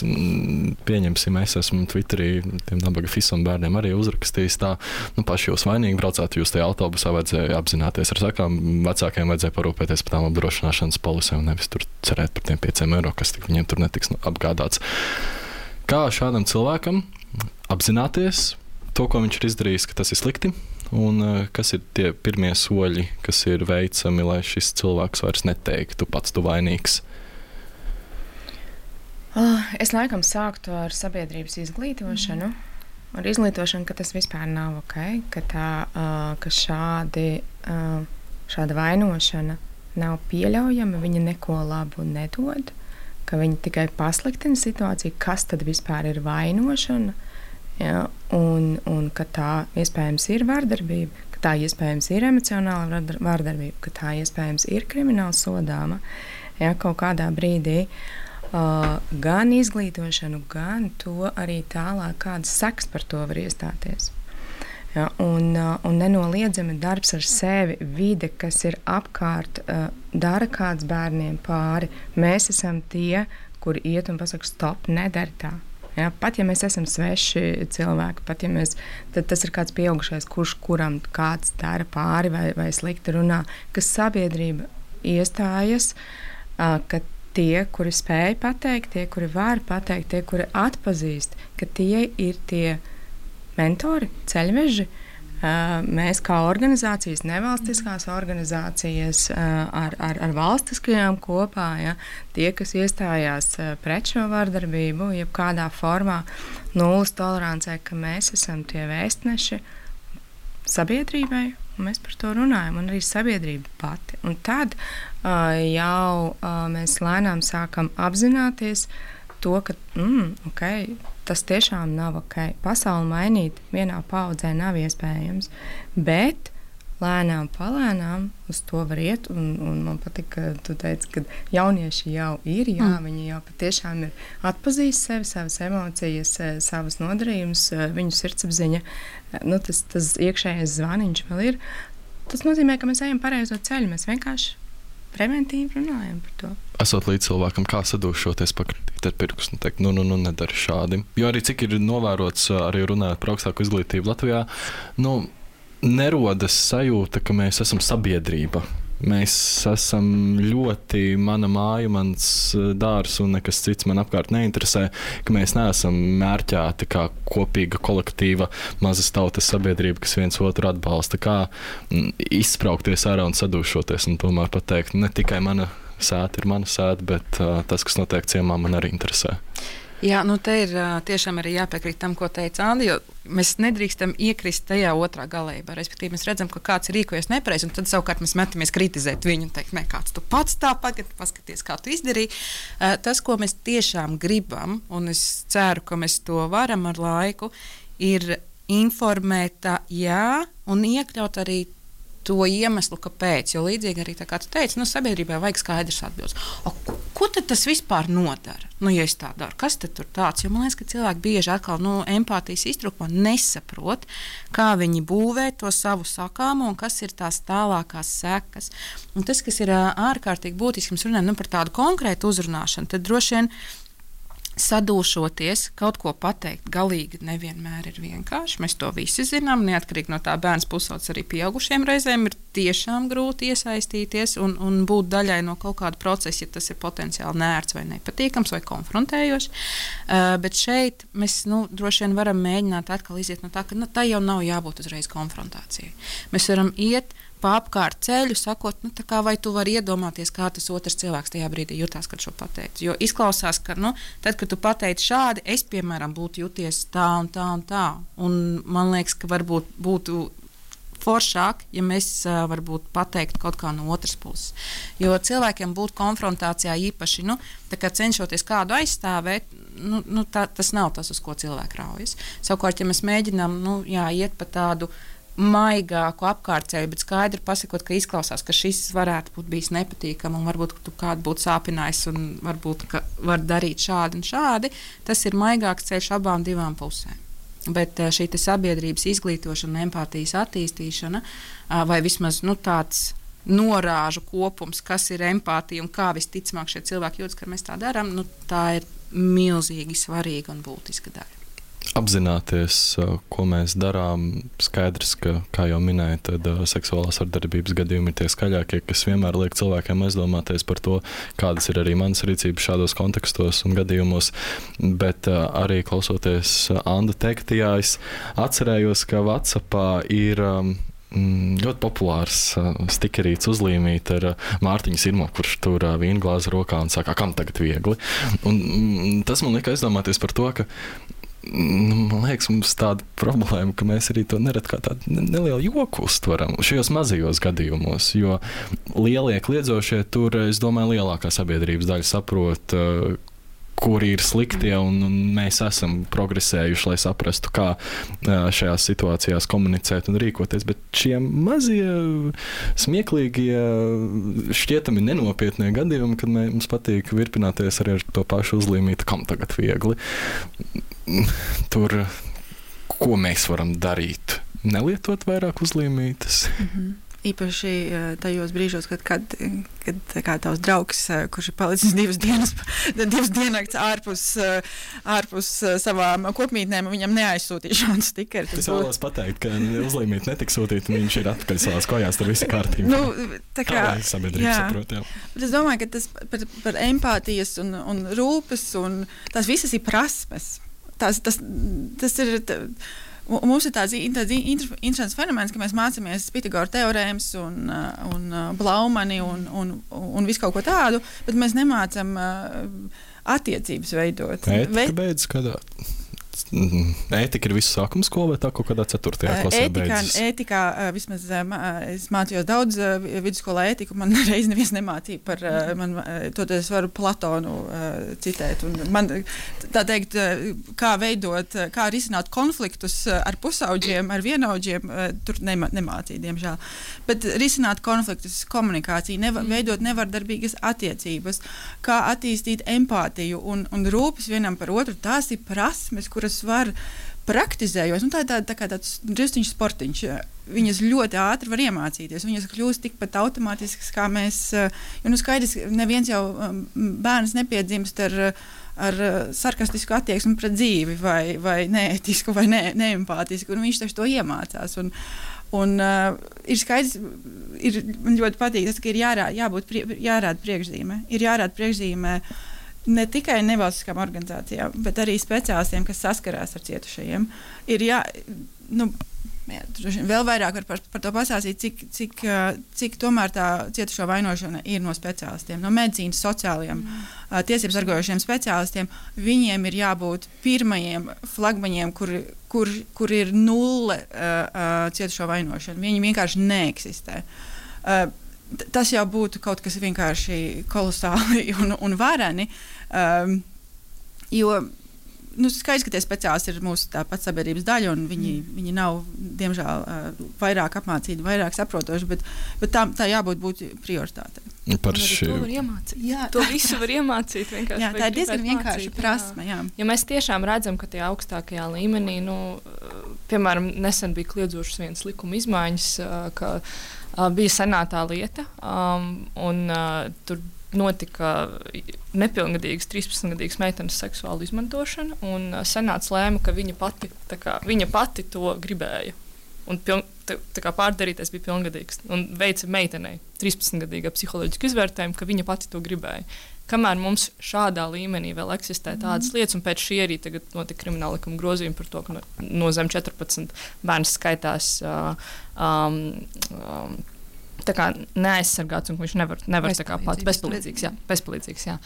Pieņemsim, es esmu Twitterī tiem nabaga fisam bērniem arī uzrakstījis tā, nu paši jūs vainīgi braucāt, jūs tajā autobusā vajadzēja apzināties ar sakām, vecākiem vajadzēja parūpēties par tām apdrošināšanas polisēm, nevis tur cerēt par tiem pieciem eiro, kas tik viņiem tur netiks apgādāts. Kā šādam cilvēkam apzināties to, ko viņš ir izdarījis, ka tas ir slikti, un uh, kas ir tie pirmie soļi, kas ir veicami, lai šis cilvēks vairs neteiktu, pats tu vainīgs? Uh, es laikam sāktu ar sabiedrības izglītošanu, mm. ar izglītošanu, ka tas vispār nav ok, ka, tā, uh, ka šādi, uh, šāda vainošana nav pieļaujama, viņa neko labu nedod, ka viņi tikai pasliktina situāciju, kas tad vispār ir vainošana, ja, un, un ka tā iespējams ir vardarbība, ka tā iespējams ir emocionāla vardarbība, ka tā iespējams ir krimināla sodāma, ja, kaut kādā brīdī. uh, gan izglītošanu, gan to arī tālāk, kādas sekas par to var iestāties. Ja, un, uh, un nenoliedzami darbs ar sevi, vide, kas ir apkārt, uh, dara kāds bērniem pāri. Mēs esam tie, kuri iet un pasaka, stop, nedari tā. Ja, pat ja mēs esam sveši cilvēki, pat ja mēs, tad tas ir kāds pieaugušais, kurš kuram kāds dara pāri vai, vai slikti runā, kas sabiedrība iestājas, uh, ka tie, kuri spēj pateikt, tie, kuri var pateikt, tie, kuri atpazīst, ka tie ir tie mentori, ceļveži. Uh, mēs kā organizācijas, nevalstiskās organizācijas uh, ar, ar, ar valstiskajām kopā, ja, tie, kas iestājās uh, pret šo vardarbību, jebkādā formā, nulles tolerancē, ka mēs esam tie vēstneši sabiedrībai, un mēs par to runājam, un arī sabiedrība pati. Un tad uh, jau uh, mēs lēnām sākam apzināties to, ka mm, okay, tas tiešām nav ok. Pasauli mainīt vienā paudzē nav iespējams, bet lēnām palēnām uz to var iet, un, un man patīk, ka tu teici, ka jaunieši jau ir, jā, mm. viņi jau patiešām ir atpazīst sevi, savas emocijas, savas nodarījumus, viņu sirdsapziņa, nu, tas, tas iekšējais zvaniņš vēl ir. Tas nozīmē, ka mēs ejam pareizo ceļu, mēs vienkārši preventīvi runājam par to. Esot līdz cilvēkam, kā sadūšoties, pakritīt ar pirkstu un teikt, nu, nu, nu, nedari šādi. Jo arī cik ir novērots, arī runājot par augstāku izglītību Latvijā, nu, nerodas sajūta, ka mēs esam sabiedrība. Mēs esam ļoti mana māja, mans dārs un nekas cits man apkārt neinteresē, ka mēs neesam mērķēti kā kopīga kolektīva mazas tautas sabiedrība, kas viens otru atbalsta, kā izspraukties ārā un sadūšoties un tomēr pateikt, ne tikai mana sēta ir mana sēta, bet uh, tas, kas notiek ciemā, man arī interesē. Jā, nu te ir uh, tiešām arī jāpiekrīt tam, ko teica Andi, jo mēs nedrīkstam iekrist tajā otrā galējībā. Respektīvi, mēs redzam, ka kāds ir rīkojies nepareizi, un tad savukārt mēs metamies kritizēt viņu un teikt, ne, kāds tu pats tā pagad, paskaties, kā tu izdarīji. Uh, tas, ko mēs tiešām gribam, un es ceru, ka mēs to varam ar laiku, ir informēt, jā, un iekļaut arī to iemeslu, kāpēc. Jo līdzīgi arī tā kā tu teici, nu, sabiedrībai vajag skaidrs atbildes. O, ko, ko tad tas vispār nodara? Nu, ja es tā daru, kas tad tur tāds? Jo man liekas, ka cilvēki bieži atkal nu, empātijas iztrūkumā nesaprot, kā viņi būvē to savu sakāmu un kas ir tās tālākās sekas. Un tas, kas ir ārkārtīgi būtiski, mēs runājam nu, par tādu konkrētu uzrunāšanu, tad droši vien sadūšoties, kaut ko pateikt, galīgi nevienmēr ir vienkārši. Mēs to visi zinām, neatkarīgi no tā bērns pusaudzes arī pieaugušiem reizēm ir tiešām grūti iesaistīties un, un būt daļai no kaut kāda procesa, ja tas ir potenciāli neērts vai nepatīkams vai konfrontējošs. Uh, bet šeit mēs nu, droši vien varam mēģināt atkal iziet no tā, ka nu, tā jau nav jābūt uzreiz konfrontācijai. Mēs varam iet pa apkārt ceļu, sakot, nu, tā kā vai tu vari iedomāties, kā tas otrs cilvēks tajā brīdī jutās, kad šo pateici. Jo izklausās, ka, nu, tad, kad tu pateici šādi, es, piemēram, būtu juties tā un tā un tā. Un man liekas, ka varbūt būtu foršāk, ja mēs uh, varbūt pateiktu kaut kā no otras puses. Jo cilvēkiem būt konfrontācijā īpaši, nu, tā kā cenšoties kādu aizstāvēt, nu, nu, tā, tas nav tas, uz ko cilvēki raujas. Savukārt, ja mēs mēģinām, nu, jā, iet pa tādu maigāku apkārtceļu, bet skaidri pasakot, ka izklausās, ka šis varētu būt bijis nepatīkami un varbūt tu kādu būtu sāpinājis un varbūt ka var darīt šādi un šādi, tas ir maigāks ceļš abām divām pusēm. Bet šī sabiedrības izglītošana, empātijas attīstīšana vai vismaz nu, tāds norāžu kopums, kas ir empātija un kā visticamāk šie cilvēki jūtas, ka mēs tā darām, nu, tā ir milzīgi svarīga un būtiska daļa. Apzināties, ko mēs darām, skaidrs, ka, kā jau minēju, tad uh, seksuālās vardarbības gadījumi ir tie skaļākie, kas vienmēr liek cilvēkiem aizdomāties par to, kādas ir arī manas rīcības šādos kontekstos un gadījumos, bet uh, arī klausoties uh, Anda teiktajā, es atcerējos, ka WhatsAppā ir um, ļoti populārs uh, stikerīts uzlīmīt ar uh, Mārtiņu Sirmo, kurš tur uh, vīnglāzi rokā un saka, kam tagad viegli. Un, mm, tas man lika aizdomāties par to, ka man liekas, mums tāda problēma, ka mēs arī to nerad kā tādu nelielu joku uztveram šajos mazajos gadījumos, jo lielie kliedzošie tur, es domāju, lielākā sabiedrības daļa saprot, kuri ir sliktie, un, un mēs esam progresējuši, lai saprastu, kā šajās situācijās komunicēt un rīkoties, bet šie mazie, smieklīgie, šķietami nenopietnie gadījumi, kad mums patīk virpināties arī ar to pašu uzlīmītu, kam tagad viegli. Tur, ko mēs varam darīt? Nelietot vairāk uzlīmītas? Mm-hmm. Īpaši tajos brīžos, kad, kad, kad kā tavs draugs, kurš ir palicis divas dienas, divas dienas ārpus, ārpus savām kopmītnēm, viņam neaizsūtīja šādu stikeru. Es vēlos pateikt, ka uzlīmīti netiks sūtīt, un viņš ir atpakaļ savās kojās, tur visi kārtībā. Nu, tā kā, tā sabiedrība saprot, jā. Bet es domāju, ka tas par, par empātijas un, un rūpes, un tās visas ir prasmes. Tas, tas, tas ir... Tā, Un mums ir tāds, tāds interesants fenomens, ka mēs mācāmies Pitagora teorēmas un, un Blaumani un, un, un visu kaut ko tādu, bet mēs nemācām attiecības veidot. Ētika Ve... beidz kādā? Ētika ir visu sākuma skola vai tā kaut kādā ceturtajā klasē ētikā, beidzas? Ētikā, vismaz es mācījos daudz vidusskolā ētiku, man reiz neviens nemācīja par, man, to es varu Platonu citēt. Un man, tā teikt, kā veidot, kā risināt konfliktus ar pusauģiem, ar vienaudžiem, tur nema, nemācīja, diemžēl. Bet risināt konfliktus, komunikāciju, nevar, veidot nevardarbīgas attiecības, kā attīstīt empātiju un, un rūpes vienam par otru, tās ir prasmes, kuras var praktizējot. Nu, tā ir tā, tā kā tāds drusciņš sportiņš. Viņas ļoti ātri var iemācīties. Viņas kļūst tikpat automātiskas, kā mēs... Jo, nu, skaidrs, neviens jau bērns nepiedzimst ar, ar sarkastisku attieksmi pret dzīvi vai, vai neētisku vai ne, neempātisku. Un viņš taču to iemācās. Un, un uh, ir skaidrs, ir, man ļoti patīk tas, ka ir jārā, jābūt prie, jārāda priekšzīme. Ir jārāda priekšzīme ne tikai nevalstiskām organizācijām, bet arī speciālistiem, kas saskarās ar cietušajiem. Ir jā, nu, jā, vēl vairāk var par, par to pasāstīt, cik, cik, cik tomēr tā cietušo vainošana ir no speciālistiem, no medicīnas, sociālajiem, mm. tiesības sargājošiem speciālistiem. Viņiem ir jābūt pirmajiem flagmaņiem, kur, kur, kur ir nulle uh, cietušo vainošana. Viņi vienkārši neeksistē. Uh, Tas jau būtu kaut kas vienkārši kolosāli un, un vareni, um, jo nu, skaidrs, ka tie speciālisti ir mūsu tāpat sabiedrības daļa, un viņi, mm. viņi nav, diemžēl, uh, vairāk apmācīti, vairāk saprotoši, bet, bet tā, tā jābūt būt prioritātei. Par šī... To var iemācīt. Jā. To visu var iemācīt. Jā, tā ir diezgan vienkārši prasme. Jā. Ja mēs tiešām redzam, ka tajā augstākajā līmenī, nu, piemēram, nesen bija kliedzošas vienas likuma izmaiņas, ka uh, bija senātā lieta, um, un uh, tur notika nepilngadīgas, trīspadsmitgadīgas meitenes seksuāla izmantošana, un uh, senāts lēma, ka viņa pati, tā kā, viņa pati to gribēja. Un piln, tā, tā kā pārdarīties bija pilngadīgs. Un veica meitenei trīspadsmitgadīgā psiholoģisku izvērtējumu, ka viņa pati to gribēja. Kamēr mums šādā līmenī vēl eksistē tādas mm. lietas, un pēc šī arī tagad notika krimināla likuma grozījumi par to, ka no, no zem četrpadsmit bērns skaitās uh, um, um, tā kā neaizsargāts, un viņš nevar, nevar tā kā pats bezpalīdzīgs. Jā, bezpalīdzīgs, jā.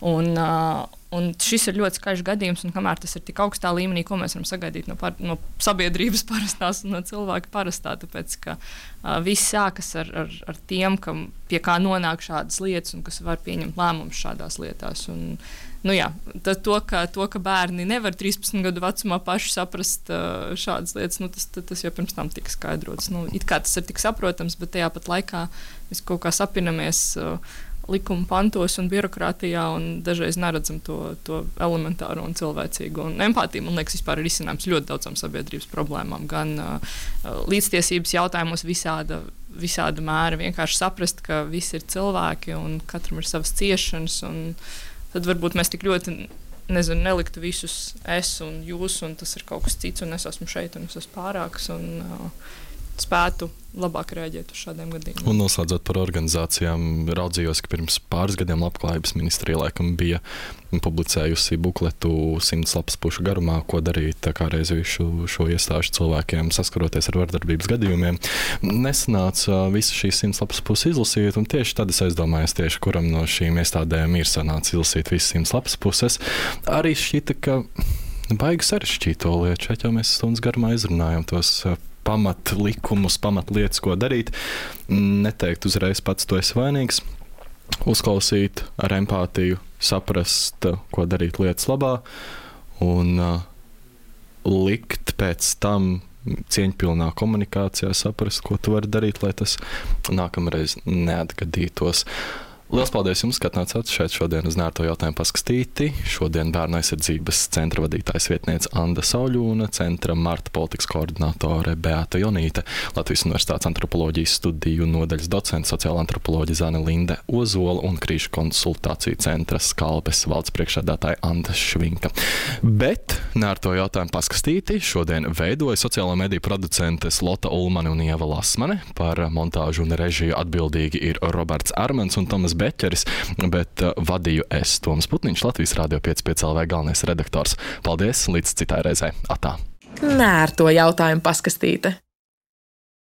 Un, uh, un šis ir ļoti skaļš gadījums, un kamēr tas ir tik augstā līmenī, ko mēs varam sagaidīt no, par, no sabiedrības parastās un no cilvēka parastā, tāpēc, ka uh, viss sākas ar, ar, ar tiem, kam, pie kā nonāk šādas lietas un kas var pieņemt lēmumus šādās lietās. Un, nu jā, to, ka, to, ka bērni nevar trīspadsmit gadu vecumā paši saprast uh, šādas lietas, nu, tas, tas jau pirms tam tika skaidrots. Nu, it kā tas ir tik saprotams, bet tajā pat laikā mēs kaut kā sapinamies uh, likuma pantos un birokrātijā, un dažreiz neredzam to, to elementāro un cilvēcīgo. Un empātija, man liekas, vispār ir risinājums ļoti daudzām sabiedrības problēmām, gan uh, līdztiesības jautājumos visāda, visāda mēra, vienkārši saprast, ka visi ir cilvēki un katram ir savas ciešanas, un tad varbūt mēs tik ļoti, nezinu, neliktu visus es un jūs, un tas ir kaut kas cits, un es esmu šeit, un es esmu pārāks, un uh, spētu labāk rēģēt uz šādiem gadījumiem. Un noslēdzot par organizācijām, raudzījos, ka pirms pāris gadiem Labklājības ministrija laikam bija publicējusi bukletu simts lapas pušu garumā, ko darīt tā kā reiz visu šo iestāžu cilvēkiem saskaroties ar vardarbības gadījumiem. Nesanāca visu šīs simts lapas puses izlasīt, un tieši tad es aizdomājos tieši, kuram no šīm iestādēm ir sanācis izlasīt visas simts lapas puses. Arī šķita, ka baigi sarežģīto lietu, šeit jau mēs stundas garumā izrunājam tos pamat likumus, pamat lietas, ko darīt. Neteikt uzreiz pats tu esi vainīgs. uzklausīt ar empātiju, saprast, ko darīt lietas labā un uh, likt pēc tam cieņpilnā komunikācijā saprast, ko tu vari darīt, lai tas nākamreiz neatgadītos. Lielas paldies jums, ka atnācāt šeit šodien uz Nērto jautājumu paskatīti. Šodien Bērnu aizsardzības centra vadītājs vietniece Anda Sauļūna, centra Marta politikas koordinātore Beata Jonīte, Latvijas Universitātes antropoloģijas studiju nodaļas docents, sociāla antropoloģija Zane Linde Ozola un krīžu konsultāciju centra Skalpes valdes priekšsēdētāja Anda Švinka. Bet Nērto jautājumu paskatīti šodien veidoja sociālo mediju producentes Lota Ulmane un Ieva Lasmane. Par montāžu un režiju atbildīgi ir Roberts Armans un Tomas Beķeris, bet uh, vadīju es, Toms Putniņš, Latvijas Radio pieci pieci L V galvenais redaktors. Paldies, līdz citai reizei. Atā! Nērto jautājumu paskastīte.